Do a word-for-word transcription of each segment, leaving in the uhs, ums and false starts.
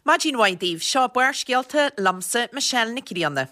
Maidin mhaith daoibh, seo Barrscéalta liomsa Michelle Nic Grianna.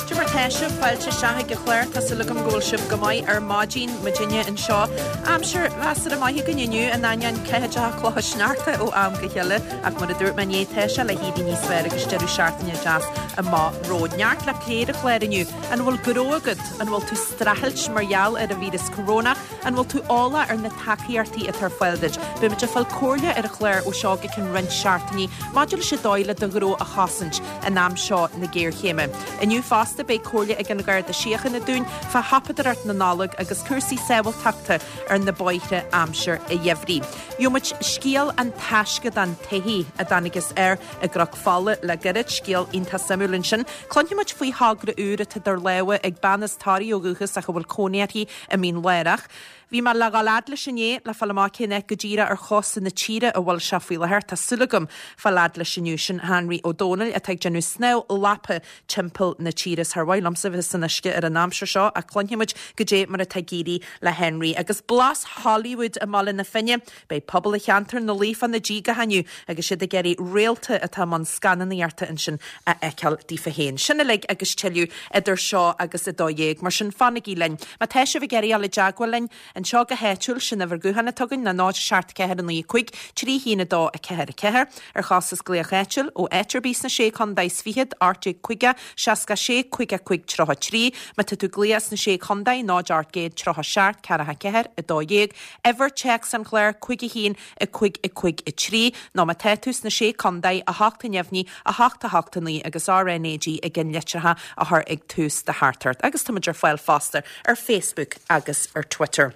Cad é mar tá sibh, fáilte isteach ag an chlár, tá súil agam go bhfuil sibh go maith ar maidin, muidinne anseo. Aimsir mheasartha maith againn inniu, in ainneoin ceathaideacha clocha sneachta ó am go chéile, ach mar a dúirt mé inné, tá sé le héirí níos fearr agus deireadh seachtaine deas amach romhainn. Neart le plé ar an chlár inniu. An bhfuil gnó agat? An bhfuil tú streachailt mar gheall ar an víreas corona? An bhfuil tú eolach ar na tacaíochtaí atá ar fáil duit? Beidh muid ag fáil comhairle ar an chlár ó seo go ceann roinnt seachtainí maidir leis an dóigh le do ghnó a chosaint in am seo na géarchéime. Inniu fosta beidh comhairle ag an Gharda Síochána dúinn fá shiopadóireacht na Nollag agus cúrsaí sábháilteachta ar na bóithre aimsir an gheimhridh. Gheobhaidh muid scéal an taisceadán taithí a dtángthas air i gCnoc Fola le gairid, scéal iontach suimiúil ansin. Cluinfidh muid faoi thogra úr atá idir lámha ag bean as Toraigh ó dhúchas ach a bhfuil cónaí uirthi i Mín Lárach. Bhí mé le dhul fhad leis inné le fáil amach cén áit go díreach ar chósta na tíre a bhfuil sé faoi láthair. Tá súil agam fáil fhad leis inniu. Sin Henry Ó Dónaill atá ag déanamh snámh lapa timpeall na tíre. Is thar mhaith liomsa bheith san uisce ar an aimsir seo ach cluinfidh muid goidé mar atá ag éirí le Henry. Agus blas Hollywood i mBaile na Finne. Beidh pobal cheantar na Laoi fá na díogacha inniu agus siad ag iarraidh réalta atá i mbun scannánaíochta ansin a fheiceáil daofa féin. Sin uilig agus tuilleadh idir seo agus a dó dhéag. Mar sin fanaigí linn. Má tá sibh ag iarraidh dul i dteagmháil linn, Anseo go háitiúil, sin uimhir gutháin atá againn ná náid seacht ceathair a naoi a cúig, trí haon a dó a ceathair a ceathair. Ar chostas glaoch áitiúil, ó áit ar bith sna Sé Chontae is Fichead, ocht déag caoga, seasca sé, caoga cúig tríocha trí. Má tá tú ag glaoch as na Sé Chontae, náid ocht gcéad tríocha seacht, ceathracha ceathair, a dó dhéag. Uimhir téacs an chláir, cúig a haon, a cúig a cúig a trí. Nó má tá tú sna Sé Chontae, a hocht a neamhní, a hocht a hocht a naoi agus RNAG i gceannlitreacha a chur ag tús do theachtaireacht. Agus táimid ar fáil fosta ar Facebook agus ar Twitter.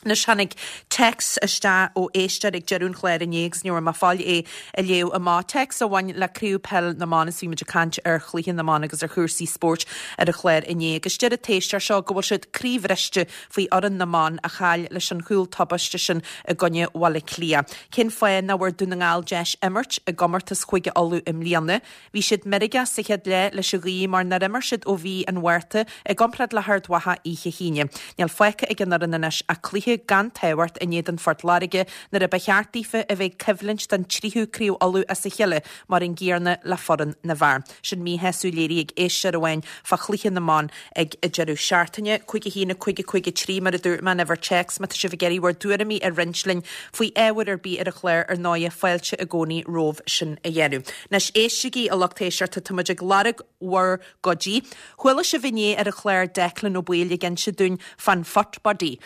Anois tháinig téacs isteach ó éisteoir ag deireadh an chláir inné agus ní raibh mé ag fáil é a léamh amach. Téacs a bhain le Craobh Peil na mBan is bhí muid ag caint ar chluiche na mban agus ar chúrsaí spóirt ar an chlár inné agus deir an t-éisteoir seo go bhfuil siad croíbhriste faoi fhoireann na mban a chaill leis an chúl tubaiste sin i gcoinne Bhaile Átha Cliath. Cén fáth nach bhfuair Dún na nGall deis imirt i gcomórtas Chúige Uladh i mbliana? Bhí siad meirgeach sa chéad leath leis an ghaoth mar nár imir siad ó mhí an Mhárta i gcomparáid le hArd Mhacha oíche hAoine. Níl fágtha ag an fhoireann anois ach cluiche gan tábhacht in éadan Phort Láirge nuair a ba cheart daofa a bheith ag coimhlint don tríú Craobh Uladh as a chéile mar an gcéanna le foireann na bhfear. Sin míshásamh léirithe ag éisteoir amháin fá chluiche na mban ag an deireadh seachtaine. Cúig a haon a cúig a cúig a trí mar a dúirt mé an uimhir téacs má tá sibh ag iarraidh bhur dtuairimí a roinnt linn faoi ábhar ar bith ar an chlár ar ndóighe fáilte i gcónaí romhaibh sin a dhéanamh. Anois éistigí a lucht éisteachta tá muid ag lorg bhur gcuidí. Chuala sibh inné ar an chlár Declan Ó Baoill ag inse dúinn fán Phutt Buddy.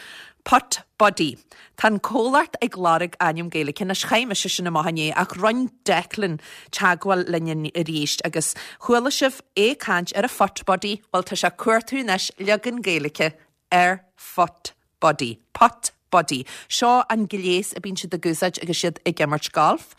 Putt Buddy. Tá an comhlacht ag lorg ainm Gaeilge anois chaith mise sin amach inné ach rinne Declan teagmháil linn arís agus chuala sibh é ag caint ar a Phutt Buddy, bhuel tá sé ag cuartú anois leagan Gaeilge ar Phutt Buddy. Putt Buddy. Seo an gléas a bíonn siad ag úsáid agus siad ag imirt golf.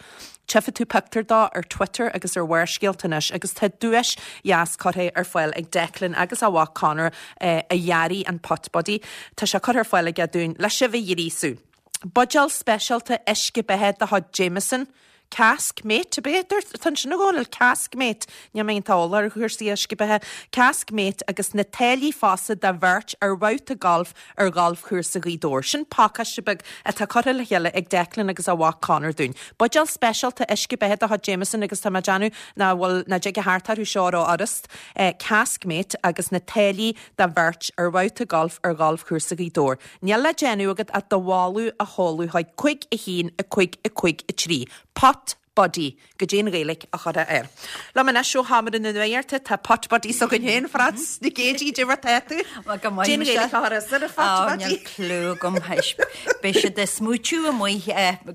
Tchífidh tú pictiúr dó ar Twitter agus ar Bharrscéalta anois agus tá duais dheas curtha ar fáil ag Declan agus a mhac Conor eh, a dhearaigh an Putt Buddy. Tá sé curtha ar fáil aige dúinn le sibh a ghríosú. Buidéal speisialta uisce beatha de chuid Jameson. Cask mate a b'é tá sin gáil cask mate Ní mé tá ar chúrsaí uisce beatha cask mate agus na táillí fosta do bheirt ar bhabhta golf ar ghalfchúrsa Ghaoth Dobhair. Sin pacáiste beag atá curtha le chéile ag Declan agus a mhac Conor dúinn. Buidéal speisialta uisce beatha de chuid Jameson agus tá mé ag déanamh ná bhfuil ná dtig a thart orthu seo rófhurast eh, cask mate agus na táillí do bheirt ar bhabhta golf ar ghalfchúrsa Ghaoth Dobhair. Níl le déanamh agat ach do mholadh a sheoladh chuig cúig a haon a cúig a cúig a trí. Putt Buddy goidé an Ghaeilge a chur air. Liom anois ó sheomra na nuachta tá Putt Buddy s'againn féin Frances Nic Géadaigh goidé mar tá tú. Dé Gaeilge a chur ar Putt Buddy. Clue agam Beidh siad ag smaointiú amuigh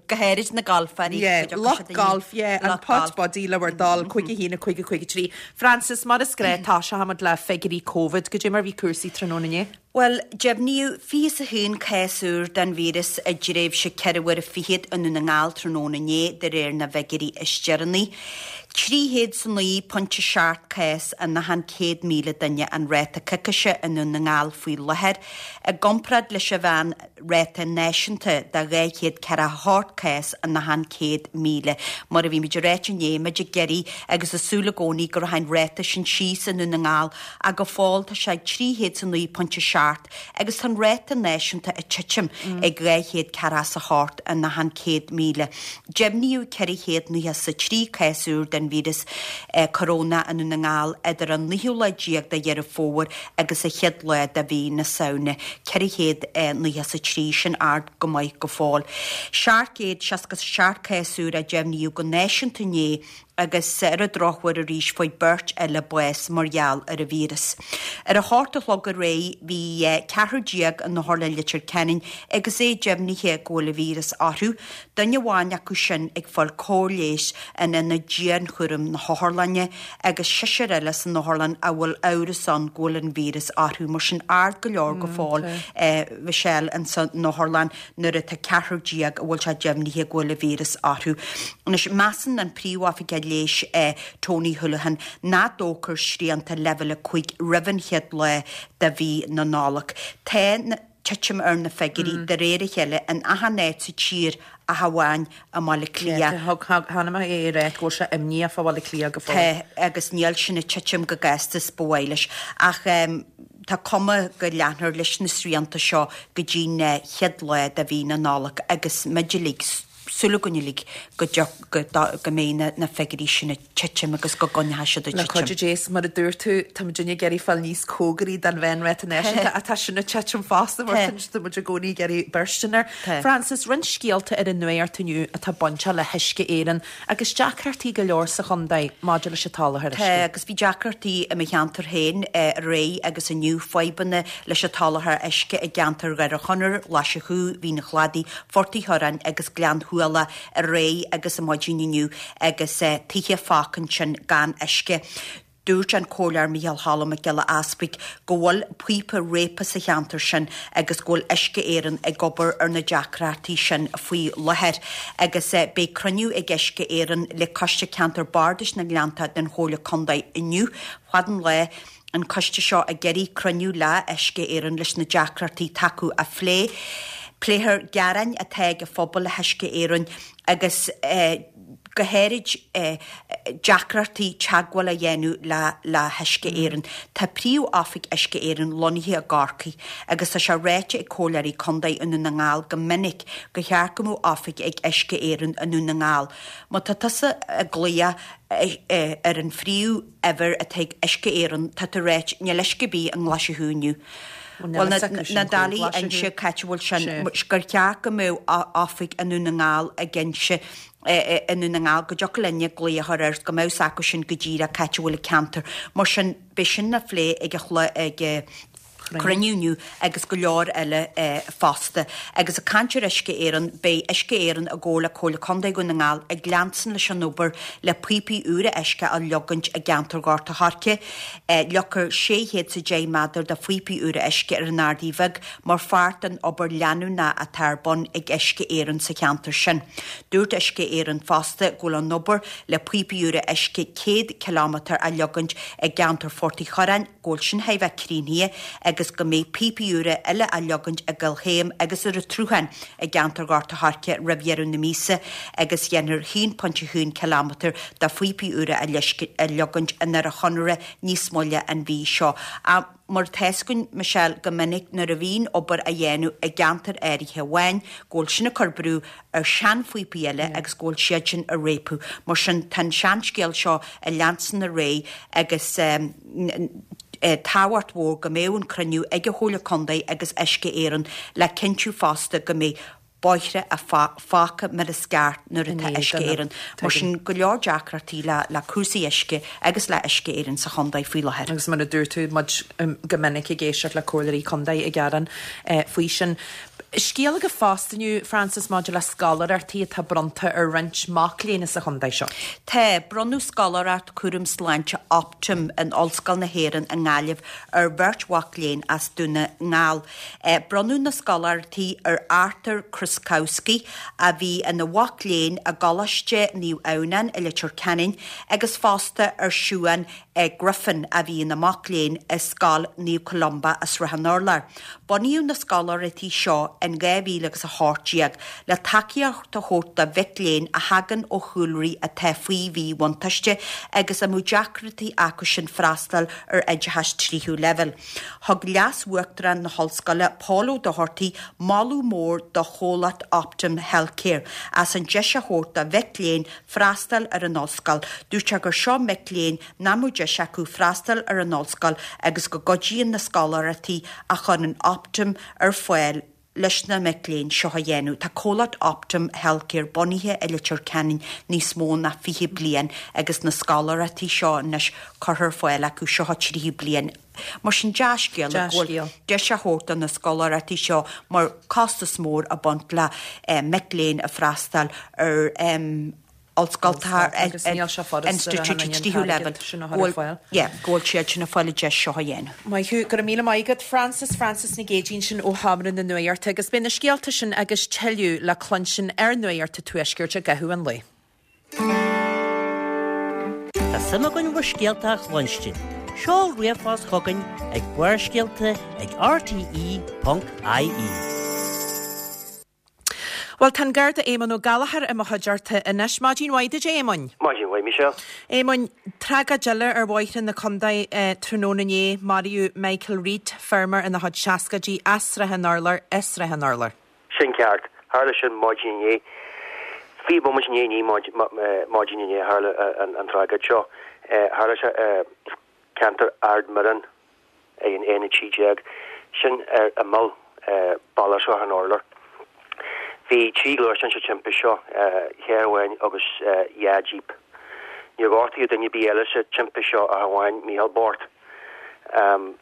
go háirid na galfairí. Lucht golf yeah, an Putt Buddy le bhur dtoil cúig a haon a cúig a cúig a trí. Frances mar is gnách toiseochaimid le figiúirí Covid goidé mar bhí cúrsaí tráthnóna inné. Well, deimhníodh fiche a haon cás úr den víreas i dtréimhse ceithre uair fichead i nDún na nGall tráthnóna inné de réir na bhfigiúirí is deireanaí. Trí chéad 's a naoi pointe seacht cás in achan céad míle duine an ráta coicíse i nDún na nGall faoi láthair, i gcomparáid leis an mheán ráta náisiúnta de dhá chéad ceathracha a hocht cás in achan céad míle. Mar a bhí muid ag ráit inné, muid ag iarraidh agus ag súil i gcónaí go rachaidh an ráta sin síos i nDún na nGall ach go fóill tá sé ag trí chéad 's a naoi pointe seacht agus tá an ráta náisiúnta ag titim ag dhá chéad ceathracha 's a hocht in achan céad míle. Deimhníodh ceithre chéad nócha 's a trí cás úr den víreas corónach i nDún na nGall idir an naoú lá déag de Dheireadh Fómhair agus an chéad lá de mhí na Samhna. ceithre chéad nócha 's a trí, sin ard go maith go fóill. Seacht gcéad seasca 's a seacht cás úr a deimhníodh go náisiúnta inné agus ar an drochuair arís fuair beirt eile bás mar gheall ar an víreas. Ar a hocht a chlog aréir bhí ceathrar déag in Otharlann Leitir Ceanainn agus é deimhnithe go bhfuil an víreas orthu, duine amháin acu sin ag fáil cóir leighis in ionad dianchúraim na hotharlainne agus seisear eile san otharlann a bhfuil amhras ann go bhfuil an víreas orthu, mar sin ard go leor go fóill, Michelle, ins an otharlann nuair atá ceathrar déag a bhfuil sé deimhnithe go bhfuil an víreas orthu. Anois, measann an Príomhoifigeach Leighis Tony Holohan nach dtógfar srianta leibhéal a cúig roimh an chéad lá de mhí na Nollag. Tá titim ar na figiúirí de réir a chéile in achan áit sa tír ach amháin i mBaile Átha Cliath. Chonaic mé é ag rá go bhfuil sé imníoch fá Bhaile Átha Cliath go fóill. Tá, agus níl sin ag titim chomh gasta is ba mhaith leis. Ach tá cuma go leanfar leis na srianta seo go dtí'n chéad lá de mhí na Nollag agus muid uilig, súil againn uilig go go mbeidh na figiúirí sin ag titim agus go gcoinneoidh siad ag titim. Le cuidiú Dé, is mar a dúirt tú, tá muid ag iarraidh fáil níos cóngaraí don mheánráta náisiúnta ach tá sin ag titim fosta mar tá muid i gcónaí ag iarraidh beirt air. Frances, roinnt scéalta ar an nuacht inniu atá bainteach le hUisce Éireann agus deacrachtaí go leor sa chontae maidir leis an tsoláthar uisce. Tá, agus bhí deacrachtaí i mo cheantar féin aréir agus inniu, fadhbanna leis an tsoláthar uisce i gceantar Dhoire Chonaire, Ghlais an Chú, Mhín an Chladaigh, Phort Uí Churráin agus Gleann Shuala aréir agus ar maidin inniu agus tithe fágtha ansin gan uisce. Dúirt an Comhairleoir Micheál Cholm Mac Giolla Easpaig go bhfuil píopa réabtha sa cheantar sin agus go bhfuil Uisce Éireann ag obair ar na deacrachtaí sin faoi láthair agus beidh cruinniú ag Uisce Éireann le Coiste Ceantar Bardais na nGleannta den Chomhairle Contae inniu fad an lae. an coiste seo ag iarraidh cruinniú le Uisce Éireann leis na deacrachtaí atá acu a phlé. Pléifear gearáin atá ag an phobal le hUisce Éireann agus go háirid deacrachtaí teagmháil a dhéanamh le le hUisce Éireann. Tá príomh-oifig Uisce Éireann lonnaithe i gCorcaigh agus tá sé ráite ag comhairleoirí contae i nDún na nGall go minic gur cheart go mbeadh oifig ag Uisce Éireann i nDún na nGall. Má tá tusa ag glaoch ar an phríomh uimhir atá ag Uisce Éireann, tá tú ag ráit níl uisce ar bith i nGlais an Chú inniu. Bhuel, na dálaí inse cá háit a bhfuil sin, gur cheart go mbeadh oifig i nDún na nGall ag inse i nDún na nGall go dtiocfadh linne glaoch a chur air go mbeadh 's acu sin go díreach cá háit a bhfuil an ceantar. Mar sin, beidh sin á phlé ag an ag cruinniú inniu agus go leor eile fosta. Agus ag caint ar Uisce Éireann, beidh Uisce Éireann i gcomhar le Comhairle Contae Dhún na nGall ag leanstan leis an obair le píopaí úra uisce a leogaint i gceantar Ghort a' Choirce. Leogfar sé chéad 's a deich méadar de phíopaí úra uisce ar an Ardaidh Bheag mar pháirt den obair leanúnach atá ar bun ag Uisce Éireann sa cheantar sin. Dúirt Uisce Éireann fosta go bhfuil an obair le píopaí úra uisce céad cileámetar a leogaint i gceantar Phort Uí Churráin, go bhfuil sin chóir a bheith críochnaithe agus go mbeidh píopaí úra eile á leogaint i gCill Chéim agus ar an tSruthán i gceantar Ghort a' Choirce roimh dheireadh na míosa agus dhéanfar a haon pointe a haon cileámetar de phíopaí úra a leogaint i nDoire Chonaire níos moille an mhí seo. Mar tá 'fhios againn, Michelle, go minic nuair a bhíonn obair á dhéanamh i gceantar áirithe amháin go bhfuil sin ag cur brú ar sheanphíopaí eile agus go bhfuil siad sin ag réabadh. Mar sin tá an seanscéal seo ag leanstan ar aghaidh agus tábhacht mhór go mbeadh an cruinniú ag an Chomhairle Contae agus Uisce Éireann le cinntiú fosta go mbeidh bóithre fágtha mar is ceart nuair atá Uisce Éireann. Mar sin go leor deacrachtaí le le cúrsaí uisce agus le Uisce Éireann sa chontae faoi láthair. Agus mar a dúirt tú, muid go minic ag éisteacht le comhairleoirí contae ag gearán faoi sin. Scéal agat fosta inniu, Frances, maidir le scoláireachtaí atá bronnta ar roinnt mac léinn sa chontae seo. Tá, bronnadh scoláireacht cúram sláinte Optum in Ollscoil na hÉireann i nGaillimh ar bheirt mhac léinn as Dún na nGall. Bronnadh na scoláireachtaí ar Arthur Kruskowski, a bhí ina mhac léinn i gColáiste Naomh Adhamhnáin i Leitir Ceanainn, agus fosta ar Siuan Griffin, a bhí ina mac léinn i Scoil Naomh Columba i Srath an Urláir. Bunaíodh na scoláireachtaí seo in dhá mhíle agus a hocht déag le tacaíocht a thabhairt do mhic léinn a thagann ó chúlraí atá faoi mhíbhuntáiste agus a mbeadh deacrachtaí acu sin freastal ar oideachas tríú leibhéal. Thug Leas-Uachtarán na hOllscoile, Pól Ó Dochartaigh, moladh mór do chomhlacht Optum Healthcare as an deis a thabhairt do mhic léinn freastal ar an ollscoil. Dúirt sé gur seo mic léinn nach mbeadh deis acu freastal ar an ollscoil agus go gcuidíonn na scoláireachtaí a chuireann Optum ar fáil leis na mic léinn seo a dhéanamh. Tá comhlacht Optum Healthcare bunaithe i Leitir Ceanainn níos mó ná fiche bliain agus na scoláireachtaí seo anois curtha ar fáil acu seo tríú bliain. Mar sin dea-scéal go bhfuil deis á thabhairt do na scoláireachtaí seo mar costas mór ag baint le mic léinn a freastal ar ollscoil Agus níl sé furasta institiúidí tríú leibhéal sin a chur ar fáil. Yeah, go bhfuil siad sin ag fáil an deis seo a dhéanamh. Maith thú, go raibh míle maith agat Frances, Frances Nic Géadaigh sin ó Sheomra na Nuachta agus beidh na scéalta sin agus tuilleadh le cluinstin ar Nuacht an Tuaiscirt i gcaitheamh an lae. Tá suim againn bhur scéalta a chluinstin. Seol ríomhphost chugainn ag Barrscéalta ag R T E ponc I E. Well, tá an Garda Éamonn Ó Gallchóir i mo chuideachta anois. Maidin mhaith duit, Éamoinn. Maidin mhaith, Michelle. Éamoinn, tragóid eile ar bhóithre na contae eh, tráthnóna inné, maraíodh Michael Reid, feirmeoir ina chuid seascaidí as Srath an Urláir, i Srath an Urláir. Sin ceart. Tharla sin maidin inné. Fiche bomaite i ndiaidh a naoi maidin inné tharla an, an tragóid seo. Eh, tharla sé eh, ceantar Ard Miran ag an aon trí déag sin ar imeall eh, Baile Shrath an Urláir. Bhí trí ghluaisteán sa timpiste seo, carr amháin agus dhá jíp. Níor gortaíodh duine ar bith eile sa timpiste seo ach amháin Micheál bocht. Um,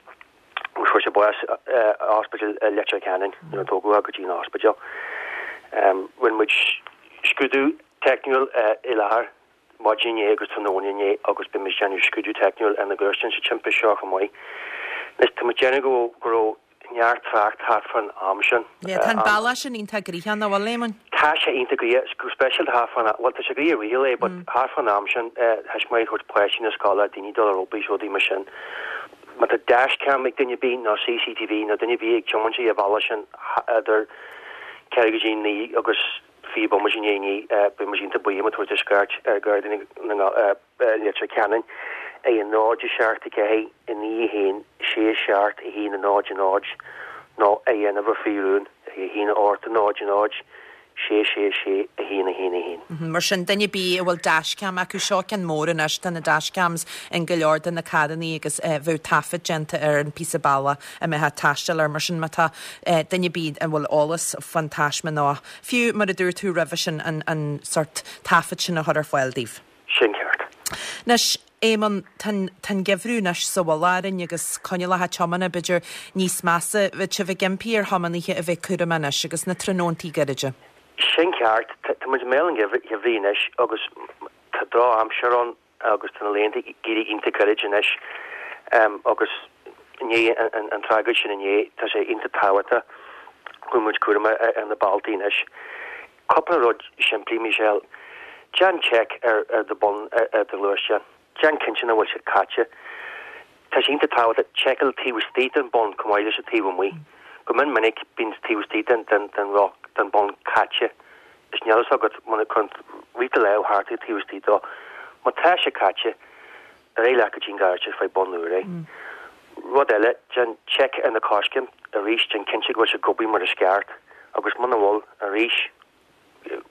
fuair sé bás ospidéal Leitir Ceanainn nuair a tógadh go dtí an ospidéal. Um, Rinne muid scrúdú teicniúil i láthair maidin inné agus tráthnóna inné agus beidh muid déanamh scrúdú teicniúil ar na gluaisteáin sa timpiste seo chomh maith. Anois tá muid déanamh go go raibh neart trácht thart fan am sin. Yeah, tá an bealach sin iontach gnoitheach, nach bhfuil, Éamoinn? Tá sé iontach gnoitheach, go speisialta thart fan, well tá sé gnoitheach riamh é, but thart fan am sin thuismitheoirí ag tabhairt páistí na scoile, daoine dul ar obair, rudaí mar sin. Má tá dashcam ag duine ar bith nó C C T V nó duine ar bith ag tiomáint an bhealach sin idir ceathrú go dtí a naoi agus fiche bomaite i ndiaidh a naoi, beidh muid iontach buíoch má tabhairt scairt ar Ghardaí na Leitir Ceanainn ag a náid a seacht a ceathair a naoi a haon sé seacht a haon a náid a náid nó a dhéanamh faoi rún ag a haon a hocht a náid a náid sé sé sé a haon a haon a haon. Mar sin duine ar bith a bhfuil dashcam acu seo ceann mór anois tá na dashcams in go leor de na carrannaí agus eh, bheadh taifead déanta ar an píosa bealaigh a mbeifeá ag taisteal air mar sin má tá eh, duine ar bith a bhfuil eolas fan taisme nó fiú mar a dúirt tú roimhe sin an, an sort taifead sin a chur ar fáil daoibh. Sin ceart. Anois Éamonn tá an geimhreadh anois sa mhullach orainn agus coinníollacha tiomána b'fhéidir níos measa bheadh sibh ag impí ar thiománaithe a bheith cúramach anois agus na tráthnóntaí gairide. Sin ceart, tá muid i mbéal an gheimhridh anois agus tá drochaimsir ann agus tá na laethanta ag éirí iontach gairid anois um, agus ní an, an tragóid sin inné tá sé iontach tábhachtach go muid cúramach ar na bealtaí anois. Cúpla rud simplí, Michelle, Déan check ar ar do bun ar, ar do ghluaisteán. Déan cinnte nach bhfuil siad caite. Tá sé iontach tábhachtach seiceáil taobh istigh den bun chomh maith leis an taobh amuigh. Go mion minic bíonn taobh istigh den den den roth den bun caite. Is níl agat muna chun rith le thart taobh istigh dó. Má tá sé caite ar aghaidh leat go dtí an garáiste faigh bun úr é. Rud eile déan check ar na coiscéim arís déan cinnte go bhfuil sé ag obair mar is ceart agus muna bhfuil arís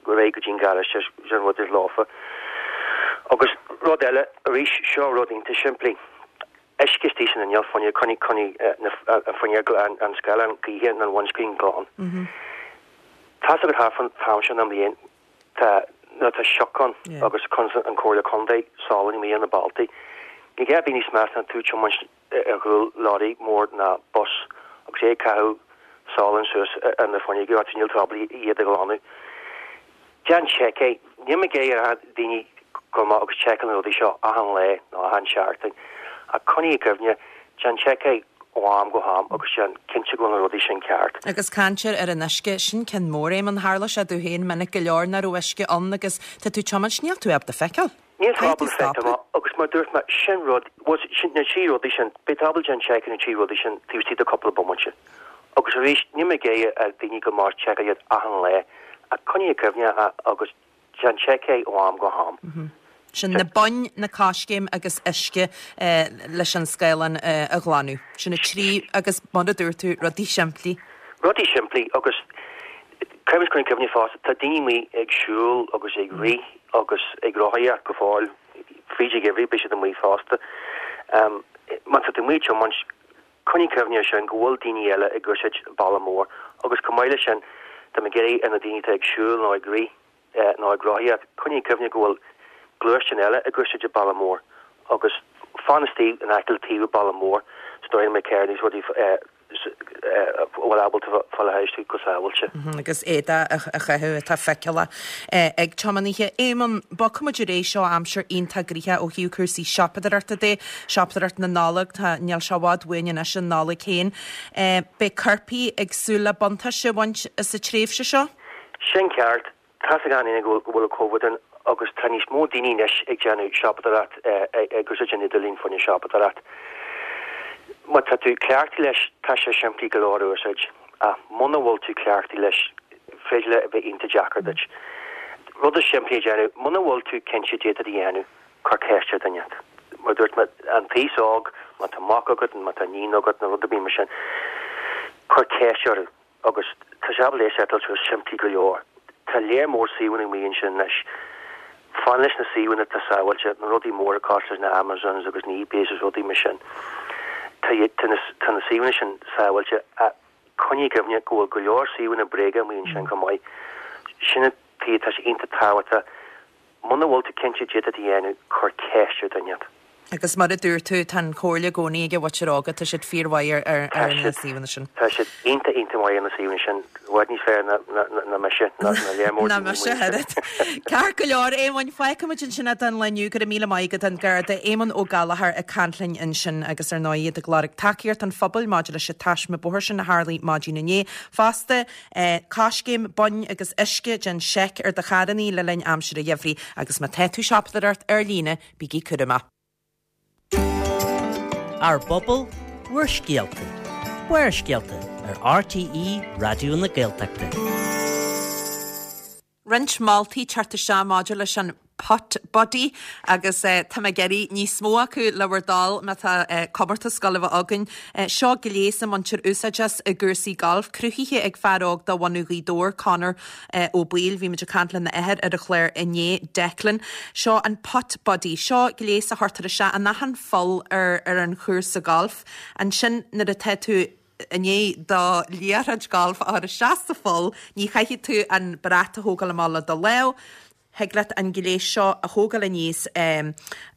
go réidh go dtí an garáiste sin rud is láfa. Agus rud eile arís seo rud iontach simplí. Uisce istigh san inneall fuinneog coinnigh coinnigh an fuinneog an an scáileán gaoithe an windscreen glan. Tá go thart fan am sin den bhliain tá nó tá sioc ann agus cuireann an Comhairle Contae salann amuigh ar na bealtaí. Ní gá bith níos measa ná tú tiomáint ar chúl lorry mór ná bus agus é caitheamh salann suas ar na fuinneoga agus níl tú ábalta iad a ghlanadh. Déan seic é, níl mé ag iarraidh ar daoine gabháil amach agus seiceáil na rudaí seo achan lá nó achan seachtain, ach coinnigh i gcuimhne, déan seic é ó am go ham agus déan cinnte go bhfuil na rudaí sin ceart. Agus caintear ar an uisce, sin ceann mór, Éamonn, tharla sé domh féin minic go leor nach raibh uisce ann agus tá tú ag tiomáint, níl tú ábalta feiceáil. Níl tú ábalta feiceáil agus mar dúirt mé, sin rud, bhuel, sin na trí rudaí sin, beidh tú ábalta déan seic ar na trí rudaí sin taobh istigh de cúpla bomaite. Agus arís, níl mé ag iarraidh ar daoine gabháil amach is seiceáil iad achan lá, ach coinnigh i gcuimhne agus déan seic é ó am go ham. Sin na boinn, na coiscéim agus uisce leis an scáileán a ghlanadh. Sin na trí agus mar a dúirt tú, rudaí simplí. Rudaí simplí agus caithfidh muid coinneáil i gcuimhne fosta, tá daoine amuigh ag siúl agus ag rith agus ag rothaíocht go fóill, fríd an gheimhreadh beidh siad amuigh fosta. Má tá tú amuigh ag tiomáint, coinnigh i gcuimhne air sin go bhfuil daoine eile ag úsáid an bealach mór agus chomh maith leis sin, tá mé ag iarraidh ar na daoine atá ag siúl nó ag rith nó ag rothaíocht, coinnigh i gcuimhne go bhfuil gluaisteáin eile ag úsáid an bealach mór agus fan istigh in aice le taobh an bealach mór sa dóigh go mbeidh carranna agus rudaí a bhfuil ábalta fáil thairis go sábháilte. Agus éadaí a chaitheamh atá feiceálach ag tiománaithe. Éamonn, bogfaidh muid ar aghaidh, seo aimsir iontach gnoitheach ó thaobh cúrsaí siopadóireachta de, siopadóireacht na Nollag, tá, níl sé i bhfad uainn anois an Nollaig féin. Beidh coirpigh ag súil le buntáiste a bhaint as an tréimhse seo? Sin ceart. Tá's ag gach éinne go bhfuil an Covid ann agus tá níos mó daoine anois ag déanamh siopadóireacht, ag úsáid an idirlíon fá choinne siopadóireacht. Má tá tú cleachtaithe leis, tá sé simplí go leor a úsáid, ach muna bhfuil tú cleachtaithe leis, féidir le a bheith iontach deacair duit. Rud is simplí a dhéanamh, muna bhfuil tú cinnte caidé atá tú a dhéanamh, cuir ceist ar dhuine inteacht. Mar a dúirt mé, an t-aos óg, má tá mac agat, má tá iníon agat nó rud ar bith mar sin, cuir ceist orthu. Agus tá sé ábalta é a seiteáil suas simplí go leor. Tá léar mór suíomhanna amuigh ansin anois. Fan leis na suíomhanna atá sábháilte, na rudaí móra cosúil leis na Amazons agus na eBays agus rudaí mar sin. Tá tá na tá na suíomhanna sin sábháilte ach coinnigh i gcuimhne go bhfuil go leor suíomhanna bréige amuigh ansin chomh maith. Sin an tuige tá sé iontach tábhachtach muna bhfuil tú cinnte caidé atá tú a dhéanamh, cuir ceist ar dhuine inteacht. Agus mar a dúirt tú, tá an chomhairle i gcónaí ag an mhuintir óga, tá siad fíormhaith ar ar na suíomhanna sin. Tá siad iontach iontach maith ar na suíomhanna sin, i bhfad níos fearr ná ná mise, ná léar mór Ná mise oiread. Ceart go leor, Éamoinn, fágfaidh muid ansin é don lá inniu, go raibh míle maith agat an Garda Éamonn Ó Gallchóir ag caint linn ansin agus ar ndóigh iad ag lorg tacaíocht an phobail maidir leis an taisme bóthair sin a tharlaigh maidin inné. Fosta, coiscéim, boinn agus uisce, déan seic ar do charrannaí le linn aimsir an gheimhridh agus má tá tú ag siopadóireacht ar líne, bígí cúramach. Ár bpobal, bhur scéalta. Barrscéalta ar RTÉ Raidió na Gaeltachta. Roinnt moltaí teacht isteach maidir leis an Putt Buddy agus tá mé ag iarraidh níos mó acu le bhur dtoil má tá comórtas ag gabháil a bheith againn. Seo gléas a mbaintear úsáid as i gcúrsaí gailf, cruthaithe ag fear óg de bhunadh Ghaoth Dobhair, Conor Ó Baoill. Bhí muid ag caint lena athair ar an chlár inné, Declan. Seo an Putt Buddy. Seo gléas a chuirtear isteach in achan pholl ar ar an chúrsa gailf. Ansin nuair atá tú i ndiaidh do liathróid gailf a chur isteach sa pholl, ní chaithfidh tú an brat a thógáil amach le do lámh. Thig leat an gléas seo a thógáil aníos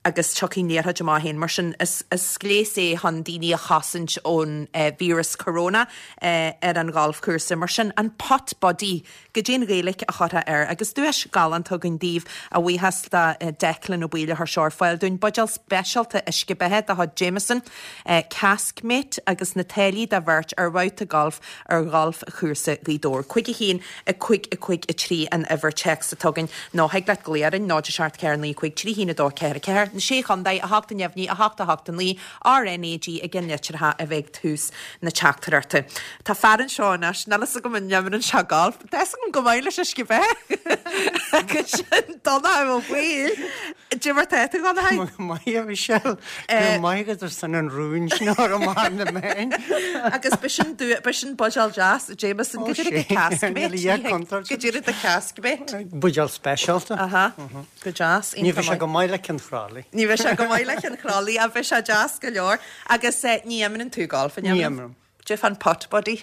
agus tiocfaidh an liathróid amach féin. Mar sin, is gléas é chun daoine a chosaint ón víreas corona ar an ghalfchúrsa. Mar sin, an Putt Buddy, goidé an Ghaeilge a chuirfeá air? Agus duais galánta againn daoibh, a bhuíochas do Declan Ó Baoill a chuir seo ar fáil dúinn. Buidéal speisialta uisce beatha de chuid Jameson, Caskmate agus na táillí do bheirt ar bhabhta gailf ar ghalfchúrsa Ghaoth Dobhair. Cúig a haon, a cúig, a cúig, a trí an uimhir téacs atá againn nó thig leat glaoch orainn, náid a seacht ceathair naoi cúig trí haon a dó ceathair ceathair, na Sé Chontae, a hocht a neamhní, a hocht a hocht a naoi, RnaG i gceannlitreacha a bheidh tús na teachtaireachta. Tá fear anseo anois, níl fhios agam an n-imríonn sé galf, tá fhios agam go maith leis uisce beatha agus sin Donnchadh Ó Baoill. Cad é mar tá tú, a Dhonncha? Go maith, a Mhichelle. Go raibh maith agat as an rún sin a chur amach ar na meáin. Agus b'shin b'shin buidéal deas, Jameson, go deireadh go Caskmate. Go deireadh do Caskmate. Buidéal speisialta. Aha, go deas. Ní bheidh sé go maith le Cionn Chrálaí. Ní bheidh sé go maith le Cionn Chrálaí, ach bheidh sé deas go leor. Agus ní imríonn tú golf, an imríonn? Ní imrím. Cad é fán Putt Buddy?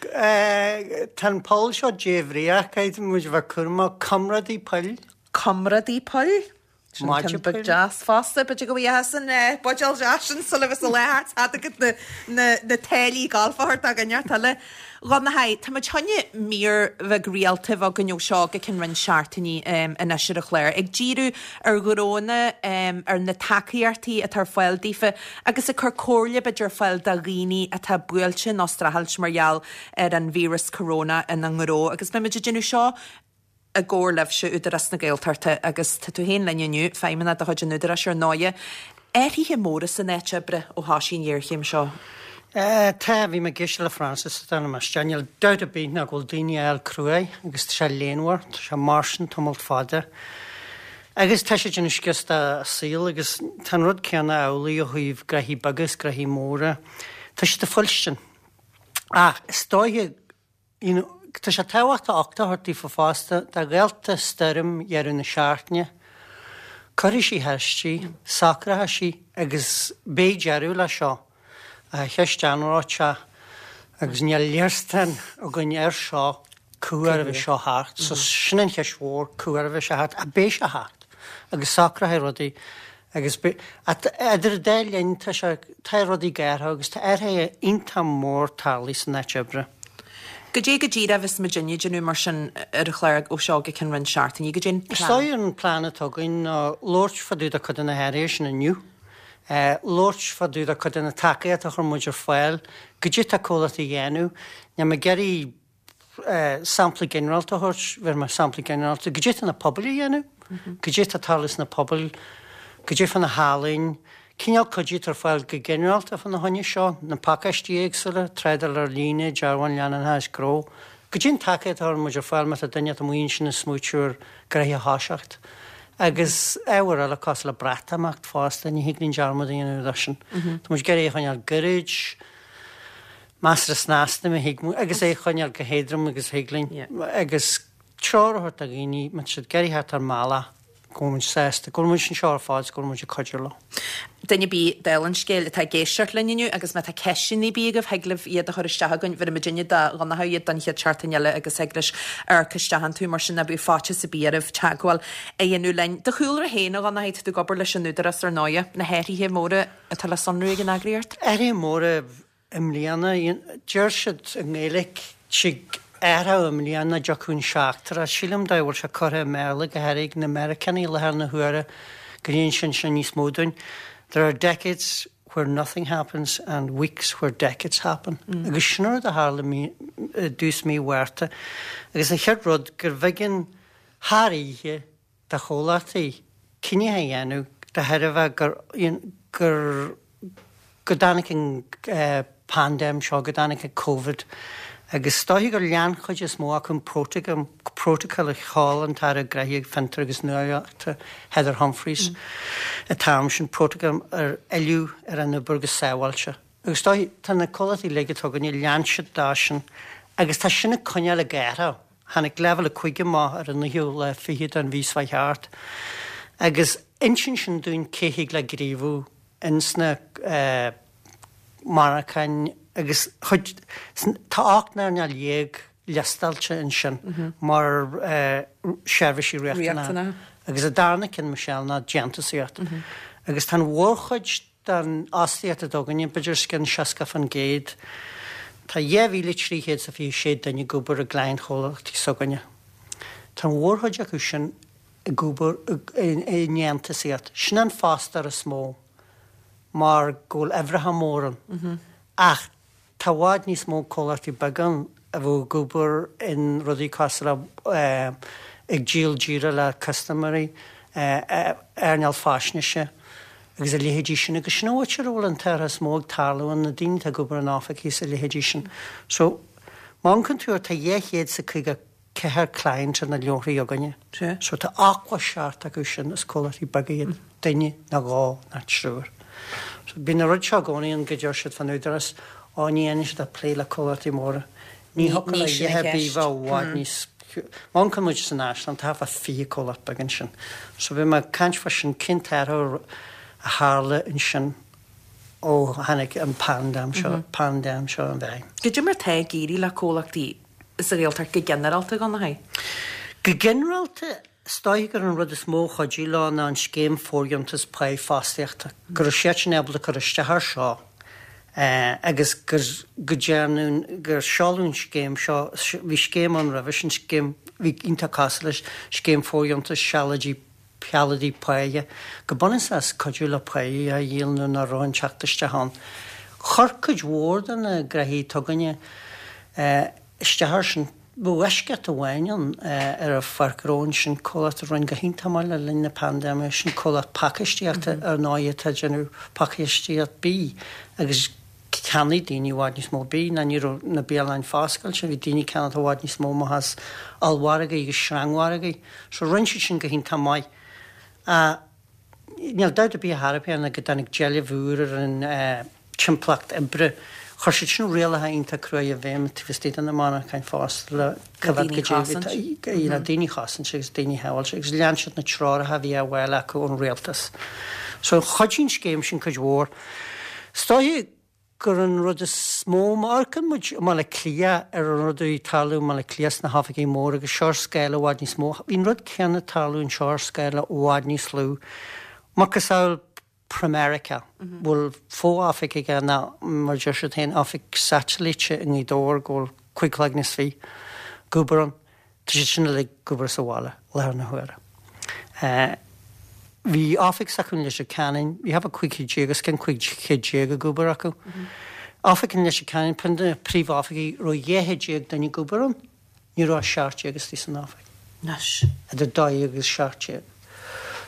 Tá an poll seo débhríoch, caithfidh muid a bheith cúramach. Comrádaí poill. Comrádaí poill? Sin ceann beag deas fosta, b'fhéidir go bhfaighidh san buidéal deas sin sula bhfios a leath thart agat na na na táillí gailf a thabhairt againn ar tuile. Dhonncha, tá muid choinne mír bheag rialta a bheith againn ó seo go ceann roinnt seachtainí anois ar an chlár, ag díriú ar ghnónna, ar na tacaíochtaí atá ar fáil daofa agus ag cur comhairle b'fhéidir ar fáil do dhaoine atá buailte nó streachailt mar gheall ar an víreas corona ina ngnó agus beidh muid ag déanamh seo i gcomhar libhse, Údarás na Gaeltachta, agus tá tú féin linn inniu, feidhmeannach de chuid an Údaráis ar ndóighe. Athruithe móra san áit oibre ó thosaigh an ghéarchéim seo? Tá, bhí mé ag éisteacht le Francis ag déanamh isteach. Níl dabht ar bith ná go bhfuil daoine á fháil cruaidh agus tá sé léanmhar, tá sé mar sin tamalt fada. Agus tá sé ag déanamh scios dá saol agus tá an rud céanna amhlaidh ó thaobh gnoithí beaga is gnoithí móra. Tá siad ag fuilstin. Ach is dóiche You know, tá sé tábhachtach uchtach a thabhairt daofa fosta, dá ghaolta stoirm dheireadh na seachtaine, cuirfidh sí thairsti, socróidh sí agus beidh deireadh leis seo. Ach cheist anróiteach agus níl léarscáil againn air seo cá huair a bheidh seo thart. So sin an cheist mhór, cá huair a bheidh sé thart, ach beidh sé thart agus socróidh rudaí agus idir an dá linn tá sé, tá rudaí ag athrú agus tá athruithe iontach mór tarlaithe san áit oibre. Goidé go díreach a bheas muidinne ag déanamh mar sin ar an chlár ó seo go ceann roinnt seachtainí? Goidé an Is plean? dóigh an plean atá againn ná labhairt fá dtaobh de cuid de na hathruithe sin inniu, labhairt fá dtaobh de cuid de na tacaíochtaí a chuir muid ar fáil, goidé tá comhlachtaí a dhéanamh. Níl mé ag iarraidh sampla ginearálta a thabhairt, bheir mé sampla ginearálta, goidé tá na pobail a dhéanamh, goidé tá ag tarlú sna pobail, goidé fá na healaín, Cineál cuidiú atá ar fáil go ginearálta fá na choinne seo, na pacáistí éagsúla, trádáil ar líne, dearbháin leanúnacha is gnó. Goidé an tacaíocht a chuireann muid ar fáil má tá duine amuigh ansin ag smaoitiú ar gnoithe a thoiseacht. Agus ábhair eile cosúil le Breatimeacht fosta, ní thig linn dearmad a dhéanamh de sin. Tá muid ag iarraidh é a choinneáil gairid, measartha snasta má thig agus é a choinneáil chomh héadrom agus a thig linn. Agus treoir a thabhairt do dhaoine má tá siad ag iarraidh theacht ár mbealach. go bhfuil muid sásta, go bhfuil muid anseo ar fad is go bhfuil muid ag cuidiú leo. Duine ar bith, dála an scéil, atá ag éisteacht linn inniu agus má tá ceisteanna ar bith agaibh, thig libh iad a chur isteach chugainn. Bhéarfaidh muidinne do Dhonncha iad don chéad seachtain eile agus thig leis amharc isteach iontu, mar sin ná bíodh faitíos ar bith oraibh teagmháil a dhéanamh linn. Do chúlra féin, a Dhonncha, tá tú ag obair leis an Údarás ar ndóighe, na hathruithe móra atá le sonrú ag an eagraíocht? Athruithe móra i mbliana, deir siad i nGaeilge, tig athrú i mbliana dtiocfadh an seachtar. Sílim dá bhfuil sé curtha i mBéarla, go háirithe ag na Meiriceánaigh i láthair na huaire, go n-insíonn sin níos mó dúinn. There are decades where nothing happens and weeks where decades happen. Agus sin an rud a tharla i dtús mí Mhárta. Agus an chéad rud gurbh éigean thar oíche do chomhlachtaí cinneadh a dhéanamh de thairbhe gur gur go dtáinig an paindéim seo, go dtáinig an Covid agus is dóiche gur lean chuid is mó acu an prótacal a sheol an tAire Gnóthaí Fiontar agus Nuálaíochta Heather Humphreys an t-am sin, prótacal ar fhilleadh ar an obair go sábháilte. Agus is dóiche, tá na comhlachtaí uilig atá againne, lean siad dó sin agus tá sin ag coinneáil ag athrú. Tháinig leibhéal a cúig amach ar an naoú lá fichead den mhí seo thart agus insíonn sin dúinn cé thig le gníomhú ins na monarchain agus chuid, tá ocht n-earnáil dhéag liostáilte ansin mar seirbhísí riachtanacha agus an darna ceann, Michelle, ná déantúsaíocht. Agus tá an mhórchuid den fhostaíocht atá againne, b'fhéidir os cionn seasca fan gcéad, tá dhá mhíle trí chéad is a fiche sé duine ag obair i gcliantchomhlachtaí s'againne. Tá an mhórchuid acu sin ag obair i ndéantúsaíocht. Sin an fostóir is mó mar go bhfuil uimhreacha mór ann. Ach tá i bhfad níos mó comhlachtaí beaga ann a bheadh ag obair in rudaí cosúil le ag díol díreach le custaiméirí, earnáil faisnéise agus a leithéidí sin agus sin an áit ar a bhfuil an t-athrú is mó ag tarlú ann, na daoine atá ag obair in oifigí is a leithéidí sin. So, má amharcann tú air tá dhá chéad is a caoga ceathair client ar na leabharthaí againne. So tá ochtó seacht acu sin, is comhlachtaí beaga iad, duine nó dhó nó triúr. So bíonn an rud seo i gcónaí ann go deir siad fán Údarás, ó ní dhéanann siad ach plé le comhlachtaí móra. Ní thiocfadh le Ní sin a an dhath ar bith cheist. bheith i bhfad níos Má amharcann muid san Áislann, tá thart fá fiche comhlacht beag ansin. So bhí mé ag caint fá sin, cén t-athrú a tharla ansin ó tháinig an paindéim seo, paindéim seo i bhfeidhm. Goidé mar tá ag éirí le comhlachtaí sa Ghaeltacht go ginearálta, a Dhonnchaidh? Go ginearálta, Is dóiche gur an rud is mó a chuidigh leo ná an scéim fóirdheontas páighe fostaíochta, go raibh siadsan ábalta cur isteach air seo agus gur, go dtearnadh, gur seoladh an scéim seo, bhí scéim ann roimhe sin, scéim a bhí iontach cosúil leis, scéim fóirdheontais sealadaigh, shealadaigh páighe, go bunúsach is cuidiú le páighe a dhíol nuair nach raibh an teacht isteach ann. Chuir cuid mhór de na gnoithí atá againne isteach air sin. Bheadh eisceacht amháin ann ar an Pháirc Ghnó ansin, comhlacht a rinne go hiontach maith le linn na paindéime, sin comhlacht pacáistíochta ar ndóigh atá ag déanamh pacáistíocht bídh agus cheannaigh daoine i bhfad níos mó bídh ná ní raibh na bialanna foscailte, bhí daoine ag ceannacht i bhfad níos mó amach as ollmhargaí agus sreangmhargaí. So rinne siad sin go hiontach maith. Níl dabht ar bith ar chor ar bith ná go dtáinig d'éileamh úr ar an timpeallacht oibre. Chuir siad sin rialacha iontach cruaidh i bhfeidhm taobh istigh de na monarcháin fosta le coimhéad go dtí le daoine a chosaint agus daoine a shábháilt agus lean siad na treoracha a bhí á bhfáil acu ón rialtas. So chuidigh an scéim sin cuid mhór. Is dóiche gur an rud is mó, má amharcann muid i mBaile Átha Cliath ar an rud a bhí ag tarlú i mBaile Átha Cliath sna hoifigí móra agus seo ar scála i bhfad níos mó, bhí an rud céanna ag tarlú anseo ar scála i bhfad níos lú. Macasamhail Pramerica, bhfuil fo-oifig aige ná, mar a deir siad féin, oifig satailíte i nGaoth Dobhair go bhfuil cúig chloigne is fiche ag obair ann. Tá siad sin uilig ag obair sa bhaile i láthair na huaire. Bhí oifig s'acu i Leitir Ceanainn, bhí thart fá cúig chéad déag, os cionn cúig chéad déag ag obair acu. Oifig in Leitir Ceanainn, ceann de na príomhoifigí, raibh dhá chéad déag duine ag obair ann, ní raibh ach seacht déag istigh san oifig. Anois. Idir dó dhéag agus seacht déag.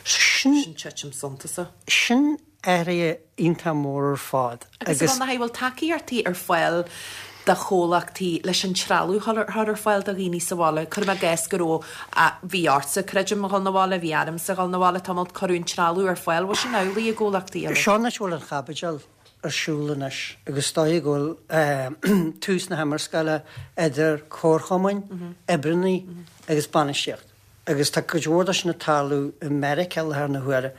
So sin. Sin titim suntasach. Sin athruithe iontach mór ar fad Agus a Dhonncha, bhfuil tacaíochtaí ar fáil do chomhlachtaí leis an trealamh a chur ar fáil do dhaoine sa bhaile? Cuirim i gcás go raibh, bhí ortsa, creidim, a dhul 'na bhaile, bhí ormsa a dhul 'na bhaile tamall, cuireadh an trealamh ar fáil, bhfuil sin amhlaidh i gcomhlachtaí eile? Seo an áit a bhfuil an chaibidil ar siúl anois agus is dóigh go bhfuil tús na himearscála idir comharchumainn, oibreannaí agus bainistíocht. Agus tá cuid mhór de sin ag tarlú i Meiriceá i láthair na huaire.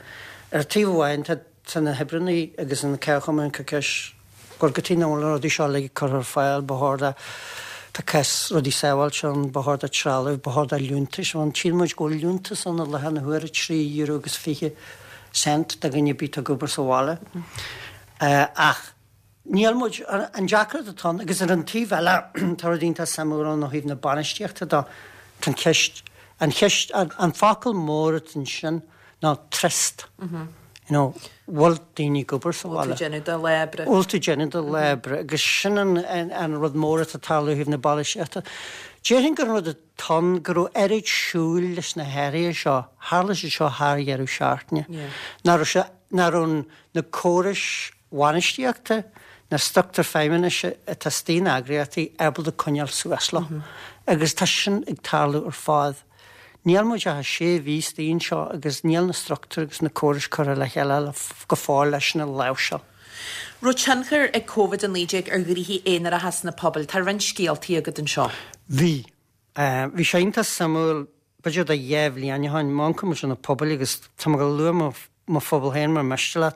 Ar taobh amháin tá tá na hoibreannaí agus na comharchumainn ag cur ceist bhuel cad chuige nach bhfuil na rudaí seo uilig curtha ar fáil, ba chóir do tá cás rudaí sábháilte ann, ba chóir do trealamh, ba chóir do liúntais ann. Tchíonn muid go bhfuil liúntas ann i láthair na huaire, trí euro agus fiche cent do dhuine ar bith atá ag obair sa bhaile. Ach níl muid, an deacracht atá ann, agus ar an taobh eile tá rud iontach suimiúil ann ó thaobh na bainistíochta de, tá an cheist, an cheist, an focal mór atá ansin ná trust. You know, bhfuil daoine ag obair sa bhaile? Bhfuil tú ag déanamh do lá oibre? Bhfuil tú ag déanamh do lá oibre? Agus sin an, an rud mór atá ag tarlú ó thaobh na bainistíochta. Déarfainn gur an rud atá ann go raibh oiread siúil leis na hathruithe seo, tharla siad seo thar dheireadh seachtaine, nach raibh sé, nach raibh na córais bhainistíochta, na struchtúir feidhmeannais atá istigh in eagraíochtaí ábalta coinneáil suas leo. Agus tá sin ag tarlú ar fad. Níl muid ach sé mhí istigh anseo agus níl na struchtúir agus na córais curtha le chéile go fóill leis sin a láimhseáil. Raibh tionchar ag Covid a naoi déag ar ghnoithí aonaracha sna pobail? Tá roinnt scéaltaí agat anseo. Bhí. Bhí sé iontach suimiúil, b'fhéidir do dhá bhliain ó shin, má amharcann muid ar na pobail agus tá mé ag lua mo mo phobal féin mar miste leat.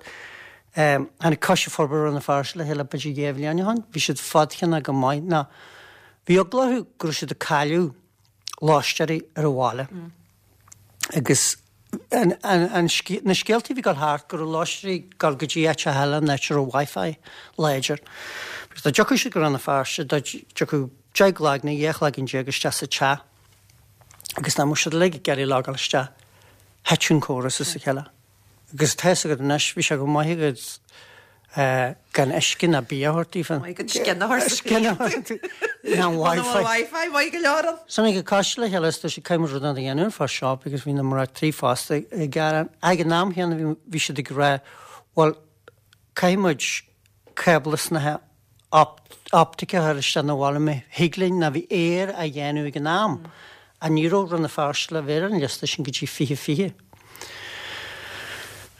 Tháinig Coiste Forbartha Rann na Feirste le chéile b'fhéidir dhá bhliain ó shin. Bhí siad fadcheannach go maith ná bhí eagla orthu go raibh siad ag cailleadh lóistéirí ar an bhaile agus an, an, an, na scéaltaí a bhí ag dul thart go raibh lóistéirí ag dul go dtí áiteacha eile an áit a raibh Wi-Fi láidir. Agus dá dtiocfadh siad go Rann na Feirste dá dtiocfadh deich gcloig nó dhá chloigeann déag isteach sa teach agus dá mbeadh siad uilig ag iarraidh logáil isteach, thit an córas as a chéile. Agus tá fhios agat anois, bhí sé go maith agat gan uisce ná bia a thabhairt daofa. Maith agat scian a thabhairt. Scian a thabhairt. Ná Wi-Fi. Wi-Fi, maith go leor ann. So tháinig an coiste le chéile is dúirt siad caithfidh muid rud éigin a dhéanamh fá seo because bhí na mná tí fosta ag gearán. Ag an am chéanna bhí siad ag rá bhuel caithfidh muid cábla snáithe optaice a chur isteach 'na bhaile má thig linn ná bhí aer á dhéanamh ag an am ach ní raibh Rann na Feirste le bheith ar an liosta sin go dtí fiche fiche.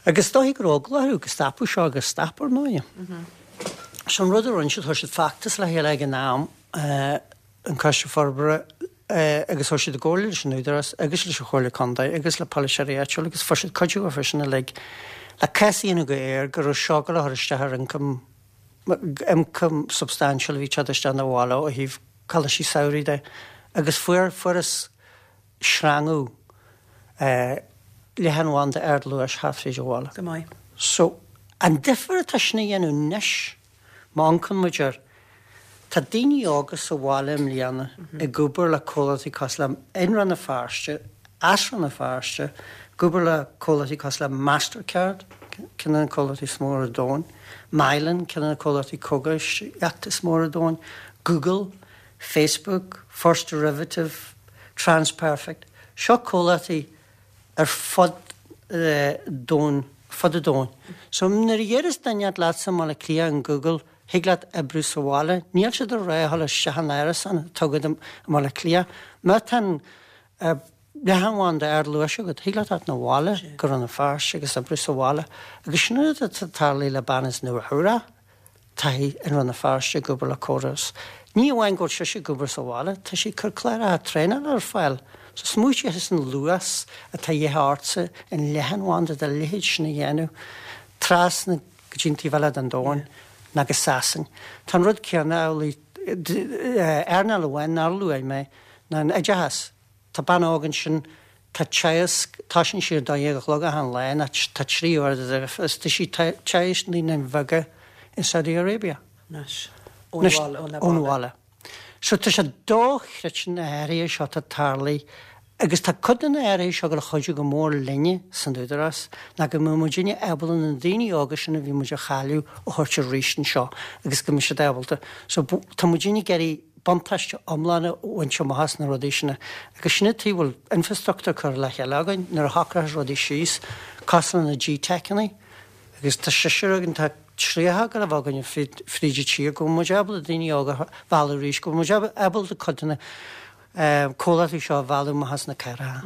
Agus is dóiche go raibh eagla orthu go stopfadh seo agus stop ar ndóighe. So an rud a rinne siad, chuir siad feachtas le chéile ag an am, an Coiste Forbartha, agus chuir siad i gcomhairle leis an Údarás agus leis an Chomhairle Contae agus le polaiteoirí áitiúla agus fuair siad cuidiú uafa sin uilig le cás a dhéanamh go aer go raibh seo ag gabháil a chur isteach ar ioncam ioncam substaintiúil a bhí ag teacht isteach 'na bhaile ó thaobh coláistí samhraidh de agus fuair fuarthas sreangú Leathanbhanda ardluais thart fríd an bhaile. Go maith. So, an difear atá sin a dhéanamh anois, má amharcann muid air, tá daoine óga sa bhaile i mbliana ag obair le comhlachtaí cosúil le i Rann na Feirste, as Rann na Feirste, ag obair le comhlachtaí cosúil le Mastercard, ceann de na comhlachtaí is mó ar domhan, Mylan, ceann de na comhlachtaí cógaisíochta is mó ar domhan, Google, Facebook, First Derivative, TransPerfect. Seo comhlachtaí ar fud domhain, fud an domhain. So nuair a dheireas duine leatsa i mBaile Átha Cliath in Google, thig leat oibriú sa bhaile, níl siad ag rá a dhul isteach in árasán atá agat i mBaile Átha Cliath. Má tá an leathanbhanda ardluais agat, thig leat theacht 'na bhaile go Rann na Feirste agus oibriú sa bhaile. Agus sin an rud atá tarlaithe le bean as Nua Eabhrac. Tá í i Rann na Feirste ag obair le córas. Ní amháin go bhfuil sise ag obair sa bhaile, tá sí ag cur cláracha traenála ar fáil. So smaoitigh as an luas atá de dhíth ortsa an leathanbhanda dá leithéid sin a dhéanamh trasna go dtí an taobh eile den domhan ná go Sasain. Tá an rud céanna amhlaidh, earnáil amháin nár luaigh mé ná an oideachas. Tá bean óg ansin, tá teagasc, tosaíonn sí ar dó dhéag a chlog achan lá, ná tá trí uair de is tá sí teagasc naíonáin bheaga in Saudi Arabia. Anois, ón bhaile, ón Ón bhaile. So tá sé dochreidte na hathruithe seo atá tarlaithe agus tá cuid de na hathruithe seo ag dul a chuidiú go mór linne san Údarás ná go mbeidh muidinne ábalta na daoine óga sin a bhí muid a chailleadh a thabhairt arís anseo agus go mbeidh siad ábalta. So tá muidinne ag iarraidh buntáiste iomlán a bhaint amach as na rudaí sin agus sin an tuige a bhfuil infrastruchtúr curtha le chéile againn nuair a shocróchas rudaí síos cosúil le na G-Techanna agus tá seisear againn, tá tríocha ag dul a bheith againn fríd an tír, go bhfuil muid ábalta daoine óga a mhealladh arís, go bhfuil muid ábalta cuid de na comhlachtaí seo a mhealladh amach as na cathracha.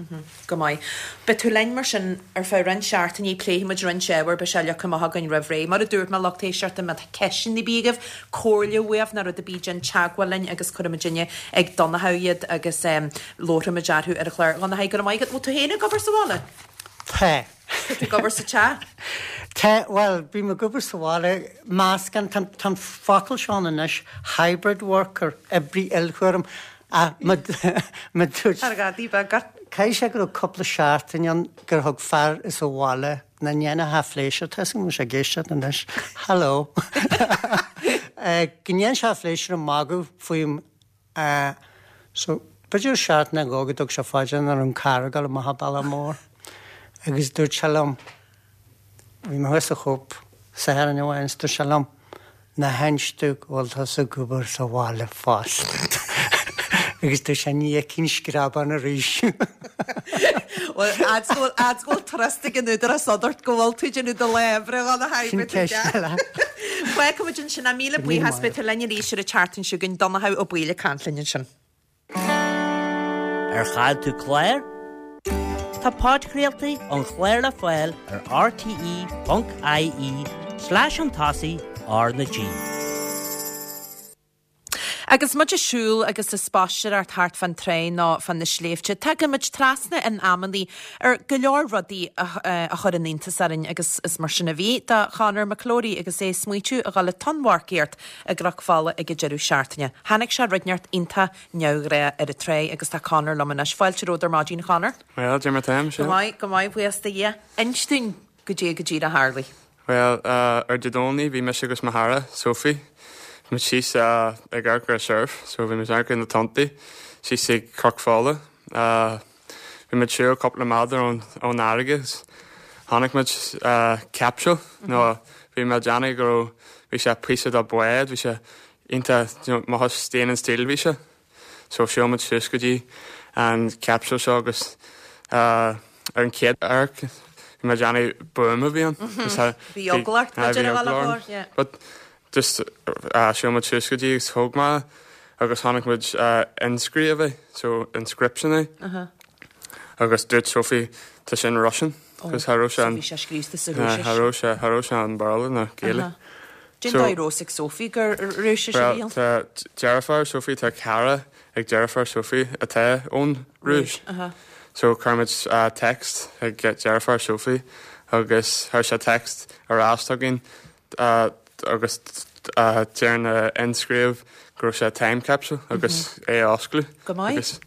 Go maith. Beidh tú linn mar sin ar feadh roinnt seachtainí, pléifidh muid roinnt ábhar, beidh sé leagtha amach againn roimh ré. Mar a dúirt mé, lucht éisteachta, má tá ceisteanna ar bith agaibh, comhairle uaibh nó rud ar bith, déan teagmháil linn agus cuirfidh muidinne ag Donnchadh iad agus labharfaidh muid orthu ar an chlár. Dhonncha, go raibh maith agat. Bhfuil tú féin ag obair sa bhaile? Tá. Tá tú ag obair sa teach? Tá, bhuel, bím ag obair sa bhaile, meascán, tá an focal seo ann anois, hybrid worker, oibrí ilchúraim, ach má dúirt. Ar ghadaí beag ort. Caithfidh sé go raibh cúpla seachtain ann gur thug fear as an bhaile nach ndéanfadh a phléisiúr, tá 'fhios agam go bhfuil sé ag éisteacht anois, hello, go ndéanann sé a phléisiúr ag magadh faoim so b'fhéidir seachtain nó dhó go dtug sé fá dear nach raibh an carr ag dul amach an bealach mór agus dúirt sé liom, bhí mé thuas sa Chóip Satharn amháin is dúirt sé liom, Ná hinis domh go bhfuil tusa ag obair sa bhaile fosta. Agus dúirt sé, ní fheicfinn screabán arís. Bhuel, fhad 's go bhfuil, fhad 's go bhfuil trust ag an Údarás ionat go bhfuil tú ag déanamh do lá oibre, a Dhonncha, Sin ceist eile. Fágfaidh muid ansin é. Míle buíochas, beidh tú linn arís ar an tseachtain seo chugainn. Donncha Ó Baoill ag caint linn ansin. Ar chaill tú clár? Tá podchraoltaí an chláir le fáil ar rte.ie slash an tosaigh R na G. Agus muid ag siúl agus ag spaisteoireacht thart fán trá nó fá na sléibhte, tagann muid trasna in amannaí ar go leor rudaí a chuireann iontas orainn agus is mar sin a bhí do Chonor McClorey agus é ag smaoitiú a dhul ag tonnmharcaíocht i gCnoc Fola ag an deireadh seachtaine. Chonaic sé rud inteacht iontach neamhghnách ar an trá agus tá Conor liom anois. Fáilte romhat ar maidin, Conor. Bhuel, cad é mar atá, Go maith, go maith, buíochas do Dhia. Inis dúinn goidé go díreach a tharlaigh. Bhuel, ar Dé Domhnaigh bhí mise agus mo chara, Sophie, bhí muid síos ag amharc ar surf, so bhí muid ag amharc ar na tonntaí síos ag Cnoc Fola. Bhí muid siúl cúpla méadar ón ón fharraige agus chonaic muid capsule nó bhí mé ag déanamh go raibh bhí sé píosa de bhád, bhí sé iontach you know maith stainless steel bhí sé. So shiúil muid suas go dtí an capsule seo agus ar an chéad amharc bhí mé ag déanamh buama a bhí ann. Bhí eagla ort b'fhéidir a dhul a yeah. But just shiúil muid suas go dtí agus thóg mé agus chonaic muid inscríobh é, so inscription é. Agus dúirt Sophie tá sin Russian. Cos cha raibh sé an. So bhí sé scríofa sa Rúisis. Cha raibh sé, cha raibh sé an Béarla ná Gaeilge. Cén dóigh a raibh fhios ag Sophie gur Rúisis a bhí ann? Bhuel, tá deirfiúr Sophie, tá cara ag deirfiúr Sophie atá ón Rúis. So chuir muid text ag deirfiúr Sophie agus chuir sé text ar ais chugainn agus deir na inscríobh go raibh sé time capsule agus é a osclú. Go maith. Agus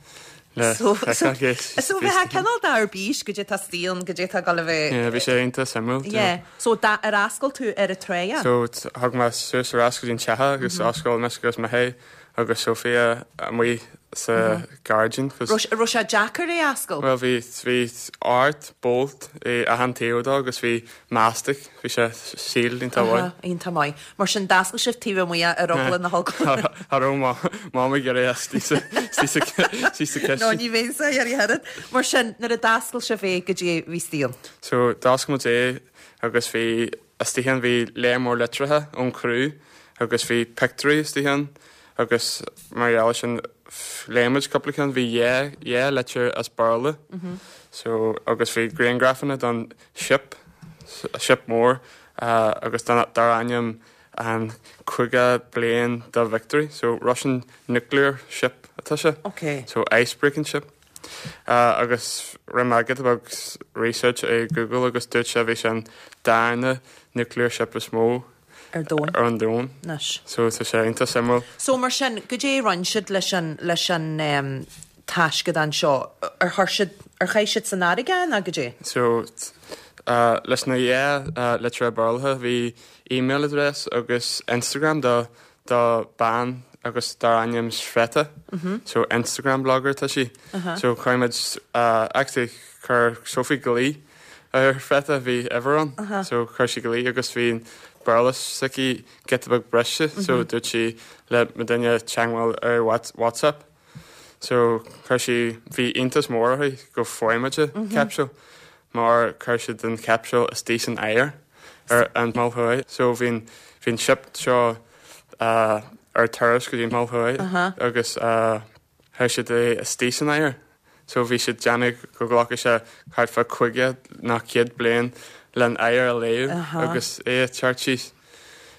le So so feiceáil so bheith cineál de ar bís goidé tá istigh ann goidé tá ag dul a bheith. Yeah, bhí sé iontach suimiúil. Yeah. So da ar oscail tú ar an trá é? So thug mé suas ar ais go dtí an teach agus oscail mise agus Mihé agus Sophia amuigh sa gairdín cos Raibh raibh sé deacair é a oscail? Well bhí bhí ocht bolt i achan taobh dó agus bhí mastic, bhí sé sealed iontach mhaith. Aha, iontach maith. Mar sin d'oscail sibh taobh amuigh ar eagla na heagla. Cha raibh ma mam ag iarraidh istigh sa istigh sa istigh sa No chistin. ní bheinn sa iarraidh oiread. Mar sin nuair a d'oscail sibh é goidé a bhí istigh ann. So d'oscail muid é agus bhí istigh ann bhí léar mór litreacha ón criú agus bhí pictiúirí istigh ann agus mar gheall air sin léigh muid cúpla ceann bhí dhá dhá litir as Béarla so agus bhí grianghrafanna don ship ship mór uh, agus dar ainm an caoga bliain de Victory so Russian nuclear ship atá sé Okay. so ice breaking ship. Uh, agus rinne mé giota beag research i Google agus dúirt sé bhí sé an darna nuclear ship is mó Ar domhan. ar an domhan. Anois. So tá sé iontach suimiúil. So mar sin goidé a rinne siad leis an leis an um, taisceadán seo ar chuir siad ar chaith siad san fharraige nó goidé? So uh, leis na dhá uh, litir Béarla bhí email address agus Instagram do do bean agus dar ainm Sveta. Mm -hmm. So Instagram blogger tá sí. Uh -huh. So chuir muid uh, actually chuir Sophie glao ar Sveta bhí uimhir ann. Uh -huh. So chuir sí glao agus bhí Béarla s'aici giota beag briste, mm -hmm. so dúirt sí le muidinne teagmháil ar WhatsApp. So chuir sí bhí iontas mór uirthi go bhfuair muid mm -hmm. capsule mar chuir siad an capsule istigh san oighear ar an Mol Thuaidh. So bhí bhí ship seo uh, ar turas go dtí Mol Thuaidh uh -huh. agus uh, chuir siad é istigh san oighear. So bhí siad déanamh go nglacfaidh sé thart fá caoga nó céad bliain len oighear a leá uh -huh. agus é teacht síos.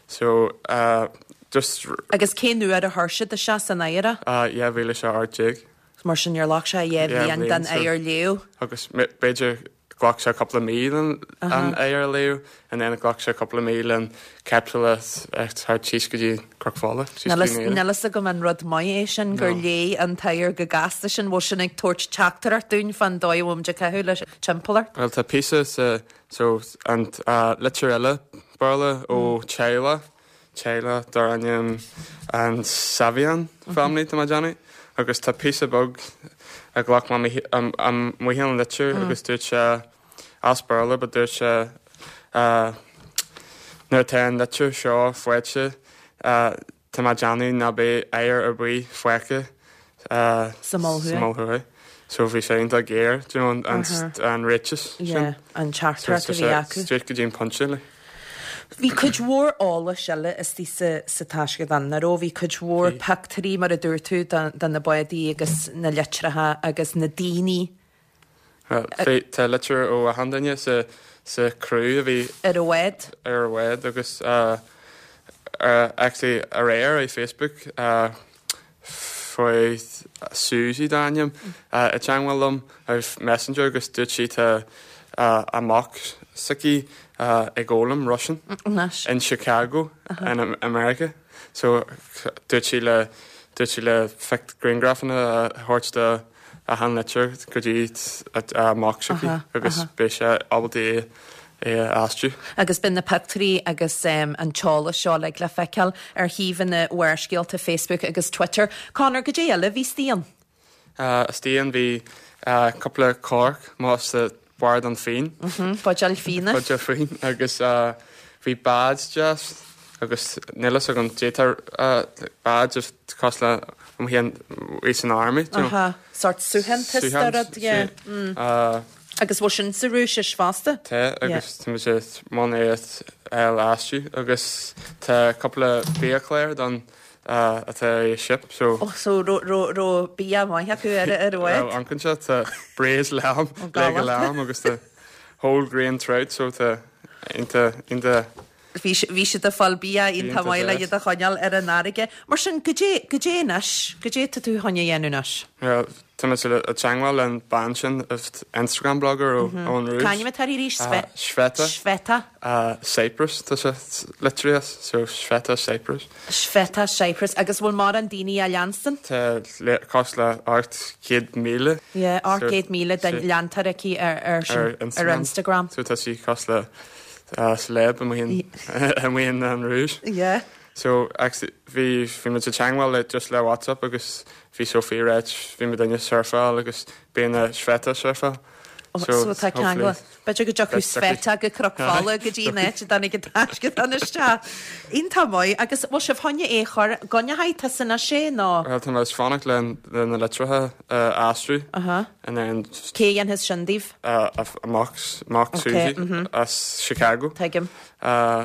So uh, just Agus cén uair a chuir siad isteach san oighear é? uh, dhá mhíle sé ocht déag. Mar sin níor ghlac sé dhá bhliain den oighear leá. Agus b'fhéidir ghlac sé cúpla mí an oighear a leá and then ghlac sé cúpla mí an capsule thar síos go dtí Cnoc Fola. Níl a fhios agam an rud maith é sin gur léigh an t-oighear go gasta sin bhfuil sin ag tabhairt teachtaireacht dúinn fán dóigh a bhfuilimid ag caitheamh le timpeallacht. Well tá píosa sa so an uh, litir eile Béarla ó teaghlach teaghlach dar ainm an Savian family tá Johnny agus tá píosa beag a ghlac amuigh an litir agus dúirt sé as Béarla but dúirt sé uh, nuair atá an litir seo faighte uh, tá mé déanamh ná beidh oighear ar bith fágtha uh, Sa Mol Thuaidh. sa Mol Thuaidh. So bhí sé iontach géar do you know, an, an, an ráiteas Yeah, an teachtaireacht a bhí acu. Straight go dtí an pointe le. Bhí cuid mhór eolais eile istigh sa, sa taisceadán nach raibh bhí cuid mhór pictiúirí mar a dúirt tú de na bádaí agus na litreacha agus na daoine Well, bhí tá litir ó achan duine sa sa crew a bhí ar an bhád. ar an bhád agus uh, uh, actually aréir ar Facebook uh, fuair Susie dar ainm uh, i dteagmháil liom ar Messenger agus dúirt sí tá uh, a mac s'aici uh, ag foghlaim Russian Anois. in Chicago uh -huh. in America. So dúirt sí le dúirt sí le fic grianghrafanna a thabhairt de achan litir go dtí a mac s'aici agus beidh sé ábalta é é a aistriú. Agus bíonn na pictiúirí agus um, an t-eolas seo le le feiceáil ar shuíomhanna Bharrscéalta Facebook agus Twitter. Conor goidé eile a bhí istigh ann. Uh, istigh ann bhí uh, cúpla corc más sa bord an fíon. Buidéal fíona. Buidéal fíon agus uh, bhí badge deas agus níl a fhios agam détar uh, badge of cos le um hían í san army. do you know. Aha, sort suaitheantas rud, yeah. Mm. Uh, Agus bhfuil sin sa Rúisis fosta? Tá agus tá sé mon é aistriú agus tá cúpla biachlár don uh, atá i ship so Oh, so raibh raibh raibh bia maith acu ar ar an bhád. an se tá braised lamb galach. leg lamb agus tá whole grain trout so tá iontach iontach Bhí bhí siad ag fáil bia iontach Iontach maith le deas. iad a choinneáil ar an fharraige. Mar sin goidé goidé anois, goidé tá tú chun a dhéanamh anois. Well, Tá mé ag teagmháil le an bean sin Instagram blogger ó ón Rúis. C'ainm atá uirthi arís? Sveta. Sveta. Cyprus tá sé litrithe so Sveta Cyprus. Sveta Cyprus agus bhfuil mórán daoine á leanstan? Tá cosúil le ocht céad míle. Yeah, ocht gcéad míle den leantóir aici ar ar ar Instagram. So tá sí cosúil le celeb amuigh in an Rúis. Yeah. So actually bhí bhí muid ag teagmháil le just le WhatsApp agus bhí Sophie ag ráit bhí muid ag surfáil agus bíonn a Sveta surfáil. So tá ceangal. B'fhéidir go dtiocfaidh Sveta go Cnoc Fola go dtí an áit a dtáinig an taisceadán isteach. Iontach maith agus bhfuil sibh chun é a chur gcoinneoidh tusa anois é nó? Bhuel tá mé ag fanacht le le na litreacha a aistriú. Aha. And then Cé a dhéanfas sin daoibh? A mac mac Susie as Chicago. Tuigim.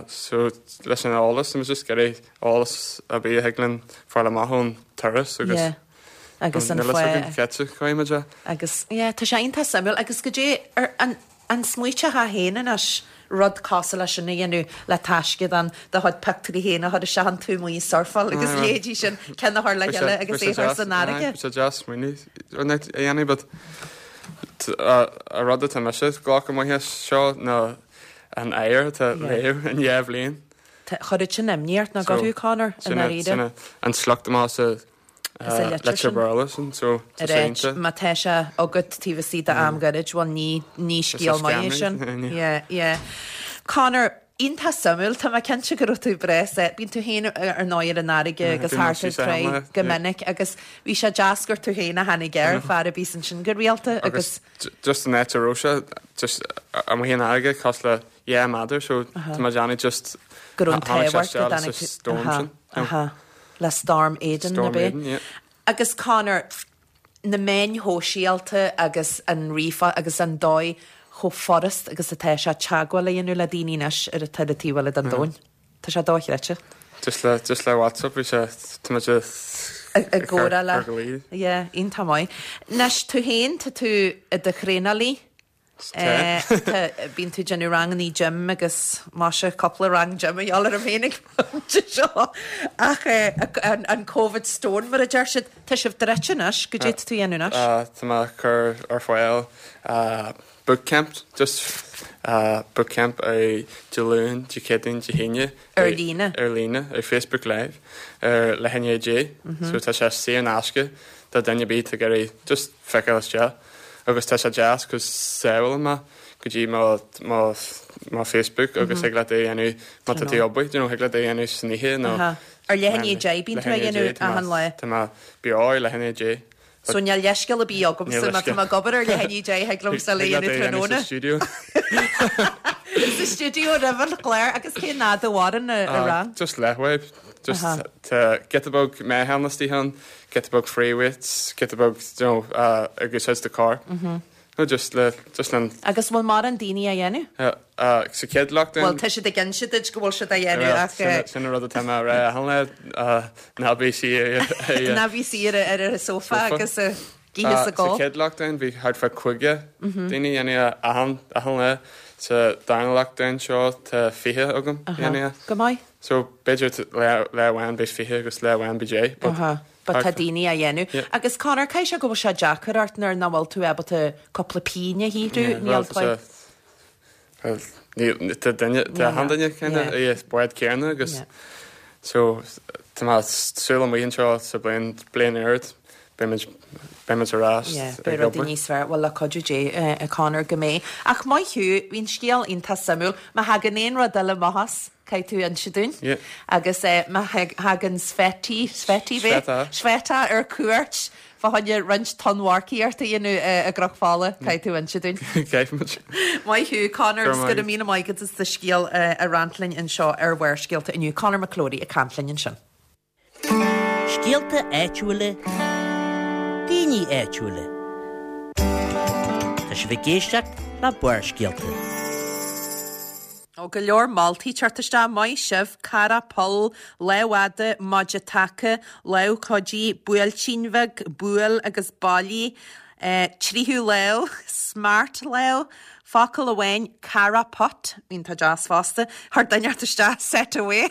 So leis an eolas, tá just ag iarraidh eolas ar bith a thig linn fáil amach ón turas agus Yeah. Agus an Níl fhios againn fáth. cé chuige muid é. Agus yeah, tá sé iontach suimiúil agus go dté ar an an smaoiteochthá féin anois rud cosúil leis sin a dhéanamh le taisceadán do chuid pictiúirí féin a chur isteach an tú amuigh ag surfáil agus leithéidí sin ceann a chur le chéile agus é a chur san fharraige. Bhí sé deas smaoineamh a dhéanamh but an rud atá mise ag glacadh amach as seo ná an oighear atá léamh in dhá bhliain. Chuirfeadh sin imní ort nach gcuirfeadh, Conor, i ndáiríre. An sliocht amach sa litir Béarla sin, so tá sé iontach. Má tá sé agat taobh istigh d'am gairid, bhuel ní ní scéal maith é sin. Yeah, yeah. Conor, iontach suimiúil, tá mé cinnte go raibh tú breá sásta. Bíonn tú féin ar ndóigh ar an fharraige agus thart ar tráigh go minic agus bhí sé deas gur tú féin a tháinig air, fear a bhíos ansin go rialta agus. Just an áit a raibh sé, just amuigh an fharraige cosúil le dhá mhéadar so tá mé ag déanamh just Go raibh an tháinig sé t-ádh ort go isteach dtáinig sa tú, storm aha, sin. aha, le Storm Aidan, Storm ab é? Aidan, yeah. Agus Conor, na meáin shóisialta agus an ríomhphost agus an dóigh chomh furast agus atá sé teagmháil a dhéanamh le daoine anois ar an taobh taobh eile den domhan. Tá sé dochreidte. Just le, just le WhatsApp bhí sé, tá muid ag Ag gcomhrá le. ag gcur Yeah, iontach maith. Anois tú féin, tá tú i do thraenálaí. Tá. Bíonn tú ag déanamh rangannaí gym agus maise cúpla rang gym a dheal orm féin ag pointe seo. Ach an, an Covid stone mar a deir siad, tá sibh druidte anois, goidé tá tú a dhéanamh anois. Tá mé ag cur ar fáil bootcamp, just bootcamp ar Dé Luain, Dé Céadaoin, Dé hAoine. Ar líne. Ar líne, ar Facebook Live, ar leath i ndiaidh a deich. So tá sé saor in aisce do duine ar bith atá ag iarraidh just feiceáil isteach. Agus tá sé deas cos sábhálann mé go dtí mo mo mo Facebook agus thig leat é a dhéanamh má tá tú ag obair, you know, thig leat é a dhéanamh san oíche nó Ar leath i ndiaidh a deich bíonn tú á dhéanamh achan lá. Tá mé beo ar leath i ndiaidh a deich. So níl leithscéal ar bith agamsa má tá mé ag obair ar leath i ndiaidh a deich thig liomsa é a dhéanamh tráthnóna. Sa stiúideo. Sa stiúideo roimh an chlár agus cén fhad a mhaireann an rang? Just leathuair. Just tá giota beag meáchan istigh ann, giota beag free weights, giota beag, you know, ag úsáid do core. No, just le, just le. Agus bhfuil mórán daoine á dhéanamh? Sa chéad lockdown. Bhuel, tá siad ag inse duit go bhfuil siad á dhéanamh ach. Sin an rud atá mé a rá achan lá, ná bí suí ar. Ná bí suí ar an sofa agus ag ithe is ag ól. Sa chéad lockdown bhí thart fá caoga daoine a dhéanamh achan, achan lá. Sa darna lockdown seo tá fiche agam a dhéanamh. Go maith. So b'fhéidir lá amháin beidh fiche agus lá amháin beidh deich. But But tá daoine á dhéanamh. Agus Conor, caithfidh sé go bhfuil sé deacair ort nuair nach bhfuil tú ábalta cúpla pingin a shaothrú, níl tá. Níl, tá duine, tá achan duine kinda i bád céanna agus so tá mé súil amuigh anseo sa bliain, bliain úr, beimid, beimid ar ais Yeah, ag beidh rudaí obair. níos fearr, bhuel le cuidiú Dé, a Conor, go mbeidh. Ach maith thú, bhí an scéal iontach suimiúil. Má thagann aon rud eile amach as, caithfidh tú inse dúinn. Yeah. Agus má thagann Sveti, Sveti b'é? Sveta. Sveta ar cuairt fá choinne roinnt tonnmharcaíocht a dhéanamh i gCnoc Fola, caithfidh tú inse dúinn. Caithfimid. Maith thú, Conor, Go raibh agus go maith raibh míle maith agat as do scéal a roinnt linn anseo ar Bharrscéalta inniu. Conor McClory ag caint linn ansin. Scéalta áitiúla, daoine áitiúla. Tá sibh ag éisteacht le Barrscéalta. Ó go leor moltaí ag teacht isteach, maith sibh, cara poll, lámh fhada, maide taca, lámh chuidí, buailtín bheag, buail agus bailigh, tríú lámh, smart lámh, focal amháin, cara pot, iontach deas fosta, chuir duine isteach, set away.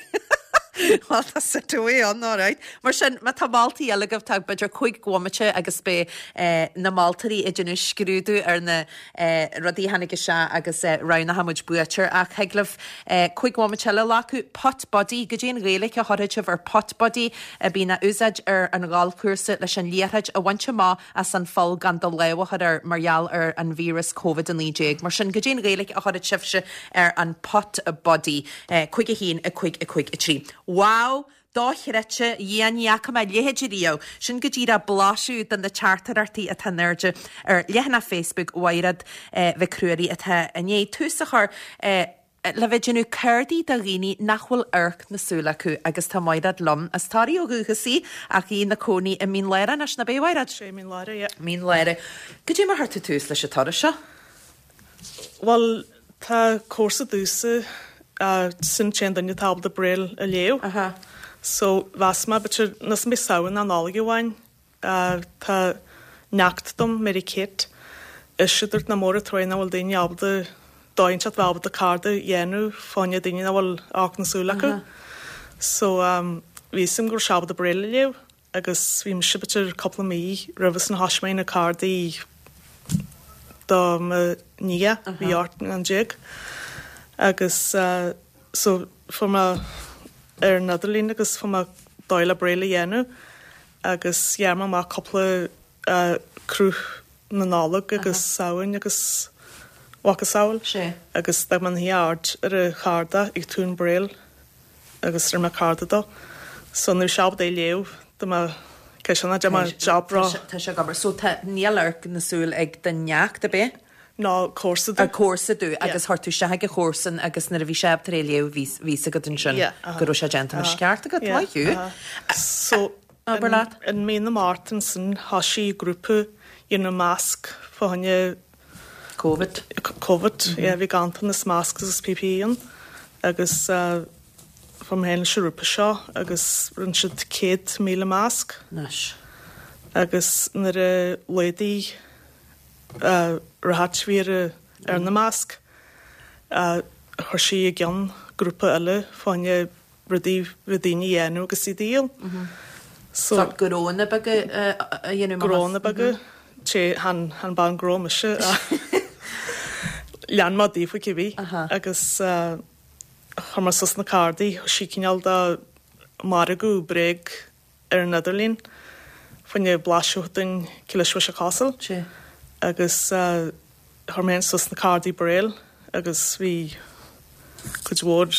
Well tá sit-away ann alright. Mar sin má tá moltaí eile agaibh tá b'fhéidir cúig bhomaite agus beidh eh, na moltóirí ag déanamh scrúdú ar na eh, rudaí a tháinig isteach agus eh, roghnóidh muid buaiteoir ach thig libh eh, cúig bhomaite eile a ghlacadh Putt Buddy goidé an Ghaeilge a chuirfidh sibh ar Putt Buddy a bhíonn á úsáid ar an gholfchúrsa leis an liathróid a bhaint amach as an pholl gan do lámh a chur air mar gheall ar an víreas COVID a naoi déag. Mar sin goidé an Ghaeilge a chuirfidh sibhse ar an Putt Buddy eh, cúig a haon a cúig a cúig a trí. Wow! Dochreidte Dhia ní fhaca mé a leithéid riamh, sin go díreach blaiseadh de na teachtaireachtaí atá in airde ar leathanach Facebook Mhaighread eh, Mhic Ruairí atá i ndiaidh tús a chur eh, le bheith déanamh cártaí do dhaoine nach bhfuil amharc na súl acu agus tá Maighread liom as Toraigh ó dhúchas í ach í ina cónaí i Mín Lárach anois nach ea Mhaighread? Sé Mín Lárach, yeah. Mín Lárach. Goidé mar chuir tú tús leis an turas seo? Well, tá comharsa domhsa uh, sin t-aon duine atá ábalta Braille a léamh. Aha. So mheas mé b'fhéidir níos mé Samhain ná Nollaig amháin uh, tá neacht dom Mary Kate is si dúirt na mór tro nach bhfuil daoine ábalta dóint bheith ábalta cárta a dhéanamh fá choinne daoine nach bhfuil amharc na súl acu. So um, bhí sim gur ábalta Braille a léamh agus bhí mise b'fhéidir cúpla mí roimh san thosaigh mé na cártaí do mo nia bhí ocht an déag agus uh, so fuair mé ar an idirlíon agus fuair mé dóigh le Braille a dhéanamh agus dhear mé amach cúpla uh, cruth na Nollag agus Samhain agus macasamhail Sé. agus d'fhág mé an aird ar a chárta ag Tún Braille agus ar me cárta dó. So nu seab é léamh do me ce na de job Tá sé- Tá sé gobar. So tá níl amharc na súl ag do neacht ab ea? ná comharsa A comharsa duit agus chuir tú isteach ag a chomharsan agus nuair a bhí sé tar éis léamh bhí bhí agat ansin Yeah, aha. go raibh sé déanta mar ceart agat Yeah, maith thú. aha. So Abair leat. in mí na Márta sin thosaigh grúpa dhéanamh masc fá choinne COVID. COVID mm bhí ganntanas masc agus PPE ann agus uh, fuair mé féin leis an grúpa seo agus rinne siad céad míle masc Anois. agus nuair a laghdaigh uh, ráta bhí ar ar na masc uh, chuir sí i gceann grúpa eile fá choinne rudaí bhí daoine a dhéanamh agus iad a dhíol. So So gnónna beaga a dhéanamh gnónna beaga sé han han ban gnó mise lean má daofa cibí Aha. agus uh, chuir mé suas na cártaí sí cineál de margadh bréag ar an idirlíon fá choinne blaiseadh den Cilis Castle Sé. agus uh, chuir mé suas na cártaí Braille agus bhí cuid mhór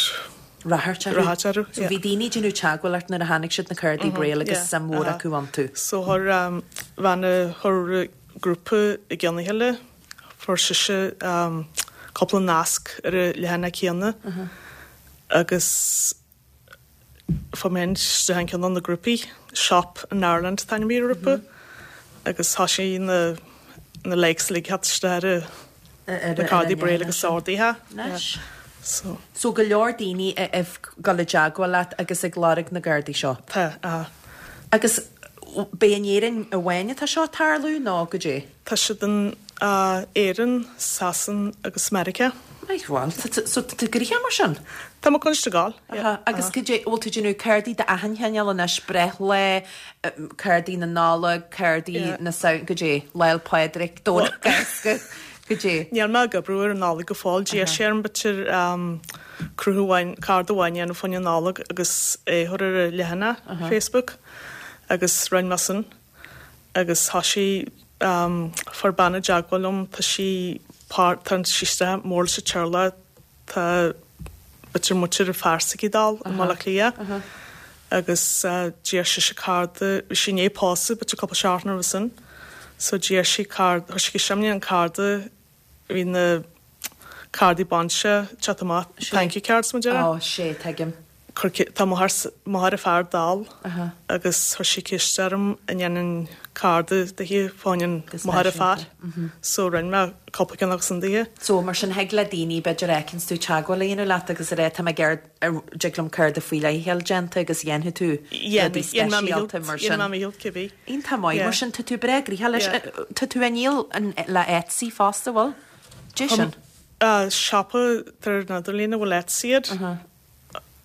Ráthairt Ráthairt orthu, So yeah. bhí daoine déanamh teagmháil leat nuair a tháinig siad na cártaí Braille agus yeah, suim mhór aha. acu iontu. So chuir um, bhean chuir grúpa i gceann eile fuair sise um, cúpla nasc ar a leathanach céanna agus fuair mé isteach in ceann de na grúpaí Shop in Ireland tá mí grúpa agus tá sí na na likes le hat stare na cártaí Braille agus sárdaithe. Anois. So So go leor daoine ag dul i dteagmháil leat agus ag lorg na gcártaí seo. tá uh, Agus b'é in Éirinn amháin atá seo tarlú nó goidé. Tá siad in uh, Éirinn, Sasan agus America. Maith bhfuil, so tú grícha mar sin? Tá constagáil. Aha, agus goidé bhfuil tú déanamh cártaí d'achan chineál anois breithlá, cártaí na Nollag, cártaí Yeah. na sa goidé, Lá 'le Pádraig, Domhnach Cásca, goidé. Níl mé ag obair ar an Nollaig go fóill d'iarr sé orm b'fhéidir um, cruth amháin cárta amháin a dhéanamh fá choinne an Nollaig agus é chur ar a leathanach Facebook agus rinne mé sin agus tá sí um, fuair bean i dteagmháil liom tá sí tá sí mór sa teaghlach tá b'fhéidir muintir fearsaí dal i mBaile Átha Cliath agus uh, d'iarr sí sé cárta bhí sí né pósadh b'fhéidir cúpla seachtain roimhe sin so d'iarr sí cárta chuir sí simne an cárta bhí na cártaí bainse teacht amach thank you cards mar Ó sé tuigim. Tá máthair a fear dall Aha. agus chuir sí ceist orm an ndéanfainn cárta di fá choinne Go máthair a fear speisialta. so rinne mé cúpla ceann agus an di. So mar sin thig le daoine b'fhéidir fheiceanns tú teagmháil a dhéanamh leat agus a rá tá mé ag iarraidh cárta faoi leith déanta agus dhéanfaidh tú rudaí speisialta mar sin. mé cibé. Iontach maith mar sin tá tú breá gnoitheach leis Yeah. tá tú ag díol le Etsy fosta bhfuil? Dé sin. Siopa ar an idirlíon a bhfuil Etsy iad.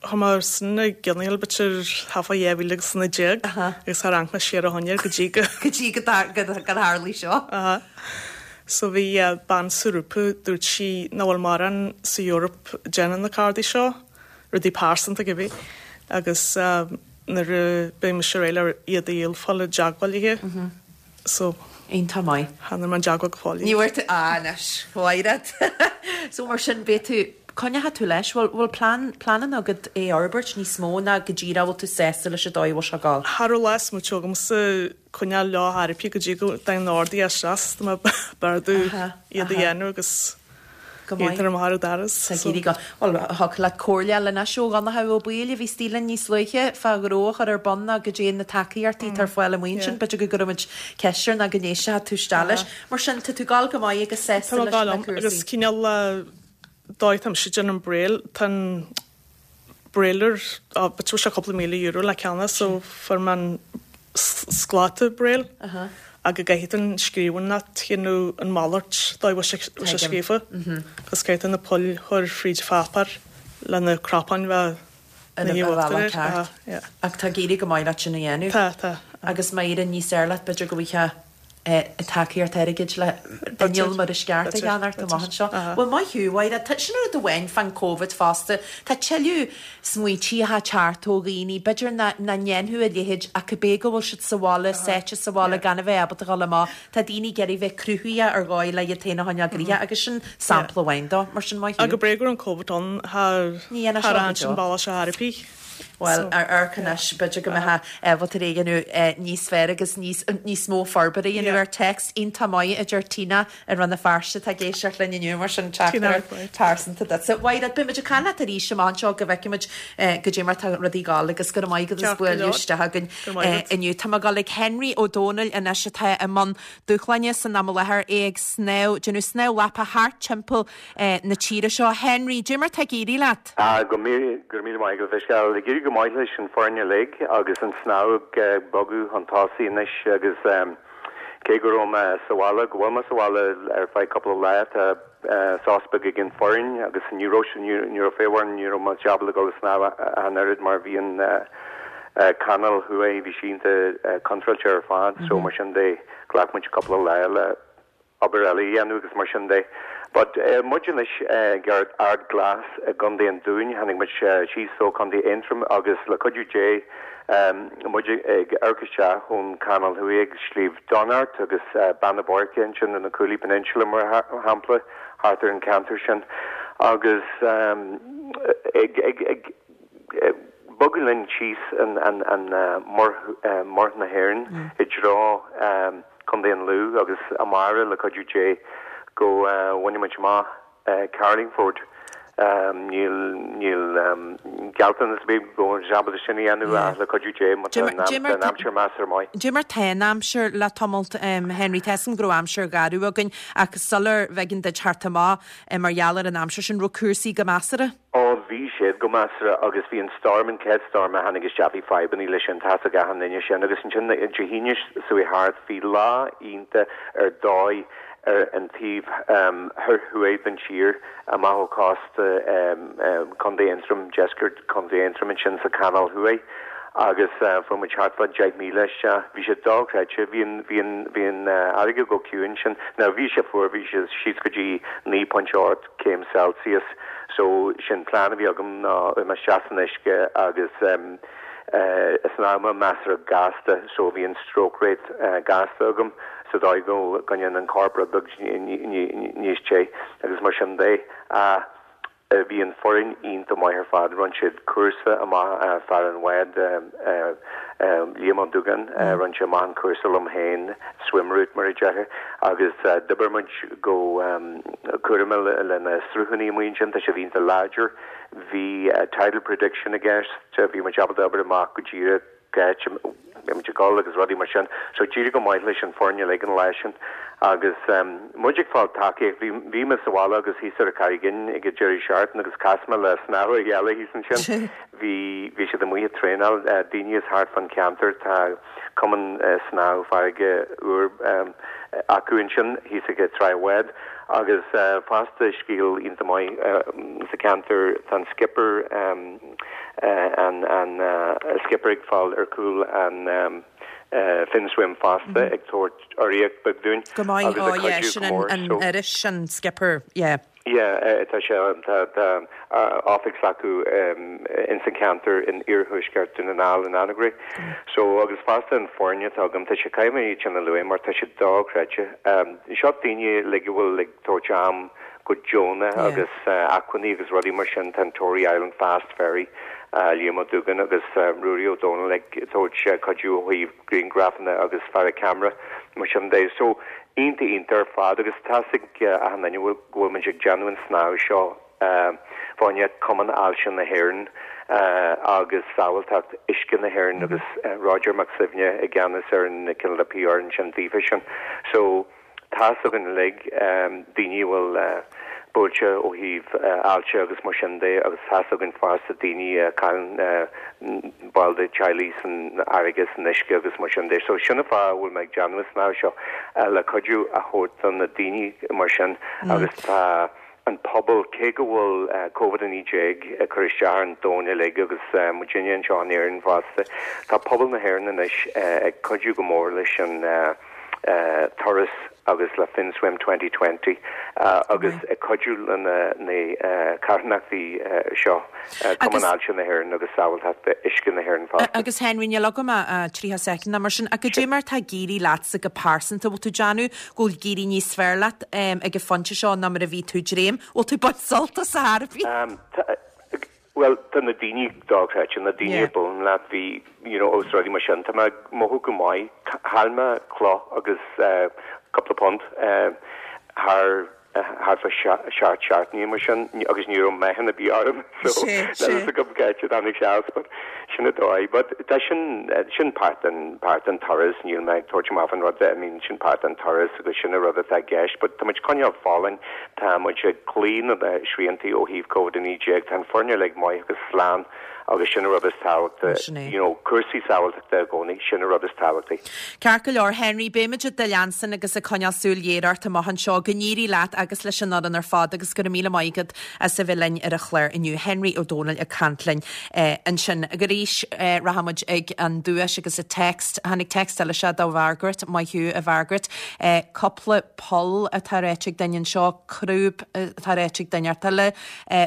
Chuir mé sin ag geonaíl b'fhéidir thart fá dhá mhíle agus a naoi déag agus tharraing mé siar ó shin air go dtí go. Go dtí go dtarlaigh seo. Aha. So bhí bean sa ghrúpa, dúirt sí nach bhfuil mórán sa Eoraip ag déanamh na cardaí seo, rudaí pearsanta cibé, agus nuair a beidh mise réidh le iad a dhíol fáil i dteagmháil léi. So. Iontach maith. Chan fhuair mé i dteagmháil go fóill. Ní bhfuair tú, ah anois, Mhaighread. So mar sin beidh tú, coinneoidh tú leis, bhfuil, bhfuil plean, pleananna agat é a fhorbairt níos mó ná go díreach bhfuil tú sásta leis an dóigh a bhfuil sé ag gabháil? Cha raibh lá smaointe agamsa coinneáil leo ar bith go dtí go dtagann ordaí isteach, tá mé ag beartú iad a dhéanamh agus Go maith. Iad ar amach ar an doras. Tá ag éirí go. Bhuel, thiocfadh leat comhairle a fháil anois ó Dhonncha Ó Baoill a bhí istigh linn níos luaithe fá ghnó a chur ar bun ná goidé na tacaíochtaí atá ar fáil amuigh ansin. B'fhéidir go gcuirfidh muid ceist air ná go n-éistfidh tú isteach leis. Mar sin, tá tú ag gabháil go maith agus sásta Tá mé leis ag gabháil na liom cúrsaí. agus cineál dóigh atá mise ag déanamh an Braille, tá an Brailler, á, b'fhéidir sé cúpla míle euro le ceannach so fuair mé an scláta Braille ach go gcaithfidh tú an scríbhneoireacht a dhéanamh an mhalairt dóigh a bhfuil sé bhfuil sé scríofa agus caithfidh tú na poill a chur fríd an pháipéar le na cnapáin bheith Ar na an uachtar bhealach air. ceart. Aha, yeah. Ach tá ag éirí go maith leat sin a dhéanamh. Tá, tá. Agus má éiríonn níos fearr leat b'fhéidir go bhfaighfeá tacaíocht airgid le inneall mar is ceart a cheannacht amach anseo. Bhuel, maith thú, Mháire. Tá sin rud amháin fán Covid fosta. Tá tuilleadh smaointí atá ag teacht ó dhaoine, b'fhéidir nach ndéanfadh a leithéid ach cibé go bhfuil siad sa bhaile, sáite sa bhaile gan a bheith ábalta dhul amach, tá daoine ag iarraidh bheith cruthaitheach ar dhóigh le iad féin a choinneáil gnoitheach agus sin sampla amháin dó. Mar sin, maith thú. Ach go breá go raibh an Covid ann, Ní dhéanfadh thar seo go an deo. sin bealach seo thar a bith. Bhuel, ar amharc anois, b'fhéidir go mbeifeá ábalta é a dhéanamh níos fearr agus níos níos mó forbartha a dhéanamh ar Téacs iontach maith, a deir Tina i Rann na Feirste atá ag éisteacht linn inniu, mar sin teachtaireacht pearsanta duitse. Mhaighread, beidh muid ag caint leat arís amach anseo go bhfeicfidh muid goidé mar tá rudaí ag gabháil agus go raibh maith agat as bualadh isteach againn inniu. Tá mé ag dul ag Henry Ó Dónaill anois atá i mbun dúshláine san am i láthair, é ag snámh, déanamh snámh lapa thart timpeall na tíre seo. Henry, goidé mar tá ag éirí leat? Ah, go míle, go raibh míle maith agat, a Mhichelle. Ag éirí go maith leis an foireann uilig agus an snámh ag bogadh chun tosaigh anois agus cé go raibh mé sa bhaile, go bhfuil mé sa bhaile ar feadh cúpla lá, tá sos beag ag an foireann agus ní raibh, ní raibh faobhar, ní raibh muid ábalta dul ag snámh ach an oiread mar bhí an canáil thuaidh, bhí sí iontach contráilte ar fad so mar sin de ghlac muid cúpla lá le obair eile a dhéanamh agus mar sin de. But muid anois ag Ard Glas i gContae an Dúin, tháinig muid síos ó Chontae Aontroim agus le cuidiú Dé muid ag amharc isteach ón Chanáil Thuaidh ag Sliabh Donart agus Beanna Boirche ansin in the Cooley Peninsula mar shampla, thart ar an ceantar sin agus ag ag ag bogadh linn síos an an an Muir na hÉireann i dtreo Contae an Lú agus amárach le cuidiú Dé go bhfaigheann muid amach Carlingford. Níl níl gealltanas ar bith go bhfuil ábalta sin a dhéanamh ach le cuidiú Dé má tá an aimsir measartha maith. Goidé mar tá an aimsir le tamalt Henry, tá 'fhios a'm go raibh aimsir gharbh againn ach sular bh'éigean duit theacht amach mar gheall ar an aimsir sin, raibh cúrsaí go measartha? Ó, bhí siad go measartha agus bhí an storm, an chéad storm a tháinig isteach, bhí fadhbanna leis sin, tá 'fhios ag achan duine sin agus ansin Dé hAoine seo thart, bhí lá iontach ar dóigh ar an taobh thoir thuaidh den tír, amach ó chósta Chontae Aontroim, deisceart Chontae Aontroim ansin sa Chanáil Thuaidh agus fuair muid thart fá deich míle isteach. Bhí sé dochreidte, bhí an, bhí an, bhí an fharraige go ciúin ansin. Now bhí sé fuar, bhí sé síos go dtí naoi pointe ocht céim Celsius so sin plean a bhí agam ná imeacht isteach san uisce agus shnámh mé measartha gasta so bhí an stroke rate gasta agam sa dóigh go gcoinneoinn an corp rud beag níos te agus mar sin de. Ach bhí an foireann iontach maith ar fad, rinne siad cúrsa amach, fear an bháid Liam Ó Dúgáin, rinne sé amach an cúrsa liom féin, swim route mar a déarfá, agus d'oibir muid go cúramach le na sruthanna amuigh ansin, tá siad iontach láidir. Bhí tidal prediction i gceist, bhí muid ábalta obair amach go díreach cá háit a mbeidh muid ag dul agus rudaí mar sin. So d'éirigh go maith leis an foireann uilig an lá sin Agus muid ag fáil tacaíocht, bhí bhí mé sa bhaile agus thíos ar an Charraig Fhinn ag an deireadh seachtaine agus chas mé le snámhaithe eile thíos ansin. Bhí bhí siad amuigh ag traenáil, daoine as thart fán cheantar, tá cumann snámh farraige úr acu ansin thíos ag Trá Bhád. Agus fosta scéal iontach maith sa cheantar, tá an skipper an an skipper ag fáil ar chúl an Finswim fosta ag tabhairt urraíocht beag dúinn Go maith, agus oh ag yeah, cuidiú sin go mór an so. iris sin skipper, yeah. Yeah, tá sé tá tá oifig s'acu ins an ceantar in iarthuaisceart Dún na nGall in Anagaire. So agus fosta an foirne atá agam tá sé caithfidh mé iad sin a lua mar tá sé dochreidte. Seo daoine like a bhfuil ag tabhairt am go deonach agus acmhainní agus rudaí mar sin tá an Tory Island Fast Ferry Liam Ó Dúgáin agus Ruairí Ó Dónaill ag tabhairt cuidiú ó thaobh grianghrafanna agus fear ceamara mar sin de. So iontach iontach ar fad agus tá a fhios ag achan duine go bhfuil muid ag déanamh an snámh seo fá choinne Cumann Ailse na hÉireann agus Sábháilteacht Uisce na hÉireann agus Roger Mac Suibhne i gceannas ar an cineál de PR ansin daofa sin. So tá a fhios againn uilig daoine a bhfuil buailte ó thaobh ailse agus mar sin de agus tá a fhios againn fosta daoine a chailleann baill de teaghlaigh san fharraige san uisce agus mar sin de. So sin an fáth a bhfuil mé ag déanamh an snámh seo le cuidiú a thabhairt do na daoine mar sin agus tá an pobal cé go bhfuil Covid a naoi déag ag cur isteach ar an domhan uilig agus muidinne anseo in Éirinn fosta, tá pobal na hÉireann anois ag cuidiú go mór leis an turas agus le Finswim twenty twenty agus ag cuidiú le na carthanachtaí seo, Cumann Ailse na hÉireann agus Sábháilteacht Uisce na hÉireann fosta. Agus Henry, níl agam ach tríocha soicind nó mar sin, ach goidé mar tá ag éirí leatsa go pearsanta, bhfuil tú ag déanamh go bhfuil ag éirí níos fearr leat ag an phointe seo ná mar a bhí tú ag dréim? Bhfuil tú ag baint sult as ar chor ar bith? Bhuel, tá na daoine dochreidte, na daoine a buaileann leat, bhí, you know, os rudaí mar sin, tá mé ag mothú go maith, chaill mé cloch agus cúpla punt thar thart fá seacht seachtainí mar sin agus ní raibh meáchan ar bith orm so níl a fhios agam cá háit a dtáinig sé as but sin an dóigh. But tá sin sin páirt den páirt den turas, níl mé ag tabhairt amach an rud I mean sin páirt den turas agus sin an rud atá i gceist but tá muid ag coinneáil folláin, tá muid ag cloí na sriantaí ó thaobh Covid a naoi déag, tá an foirne uilig maith agus slán agus sin an rud is tábhachtaí, you know, cúrsaí sábháilteachta i gcónaí, sin an rud is tábhachtaí. Ceart go leor, Henry, beimid ag do leanstan agus ag coinneáil súil ghéar ort amach anseo. Go n-éirí leat agus leis an fhoireann ar fad agus go raibh míle maith agat as a bheith linn ar an chlár inniu. Henry Ó Dónaill ag caint linn ansin. Agus arís rachaimid ag an duais agus an text. Tháinig text eile seo do Mhargaret, maith thú a Mhargaret. Cúpla poll atá ráite ag duine anseo, crúb atá ráite ag duine eile,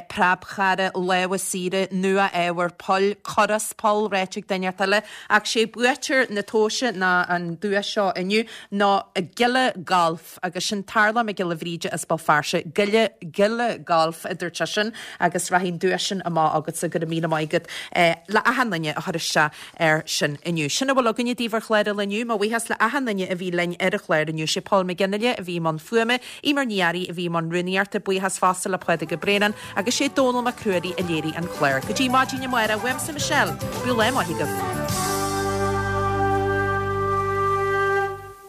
preabchara, lámha saora, nua-ábhar poill, cur as poll ráite ag duine eile, ach sé buaiteoir na tomhaise ná an duais seo inniu ná Giolla Golf agus sin Tarlach Mac Giolla Bhríde as Béal Feirste, Giolla Giolla Golf a dúirt seisean agus rachaidh an duais sin amach agatsa go raibh míle maith agat le achan duine a chuir isteach air sin inniu. Sin a bhfuil againne daoibh ar chlár an lae inniu, mo bhuíochas le achan duine a bhí linn ar an chlár inniu, sé Paul McGinley a bhí i mbun fuaime, Eimear Ní Fhearraigh a bhí i mbun rúnaíochta, buíochas fosta le Pádraig Ó Braonáin agus sé Dónal Mac Ruairí a léirigh an clár. Go dtí maidin amárach, uaimse Michelle, bíodh lá maith agaibh.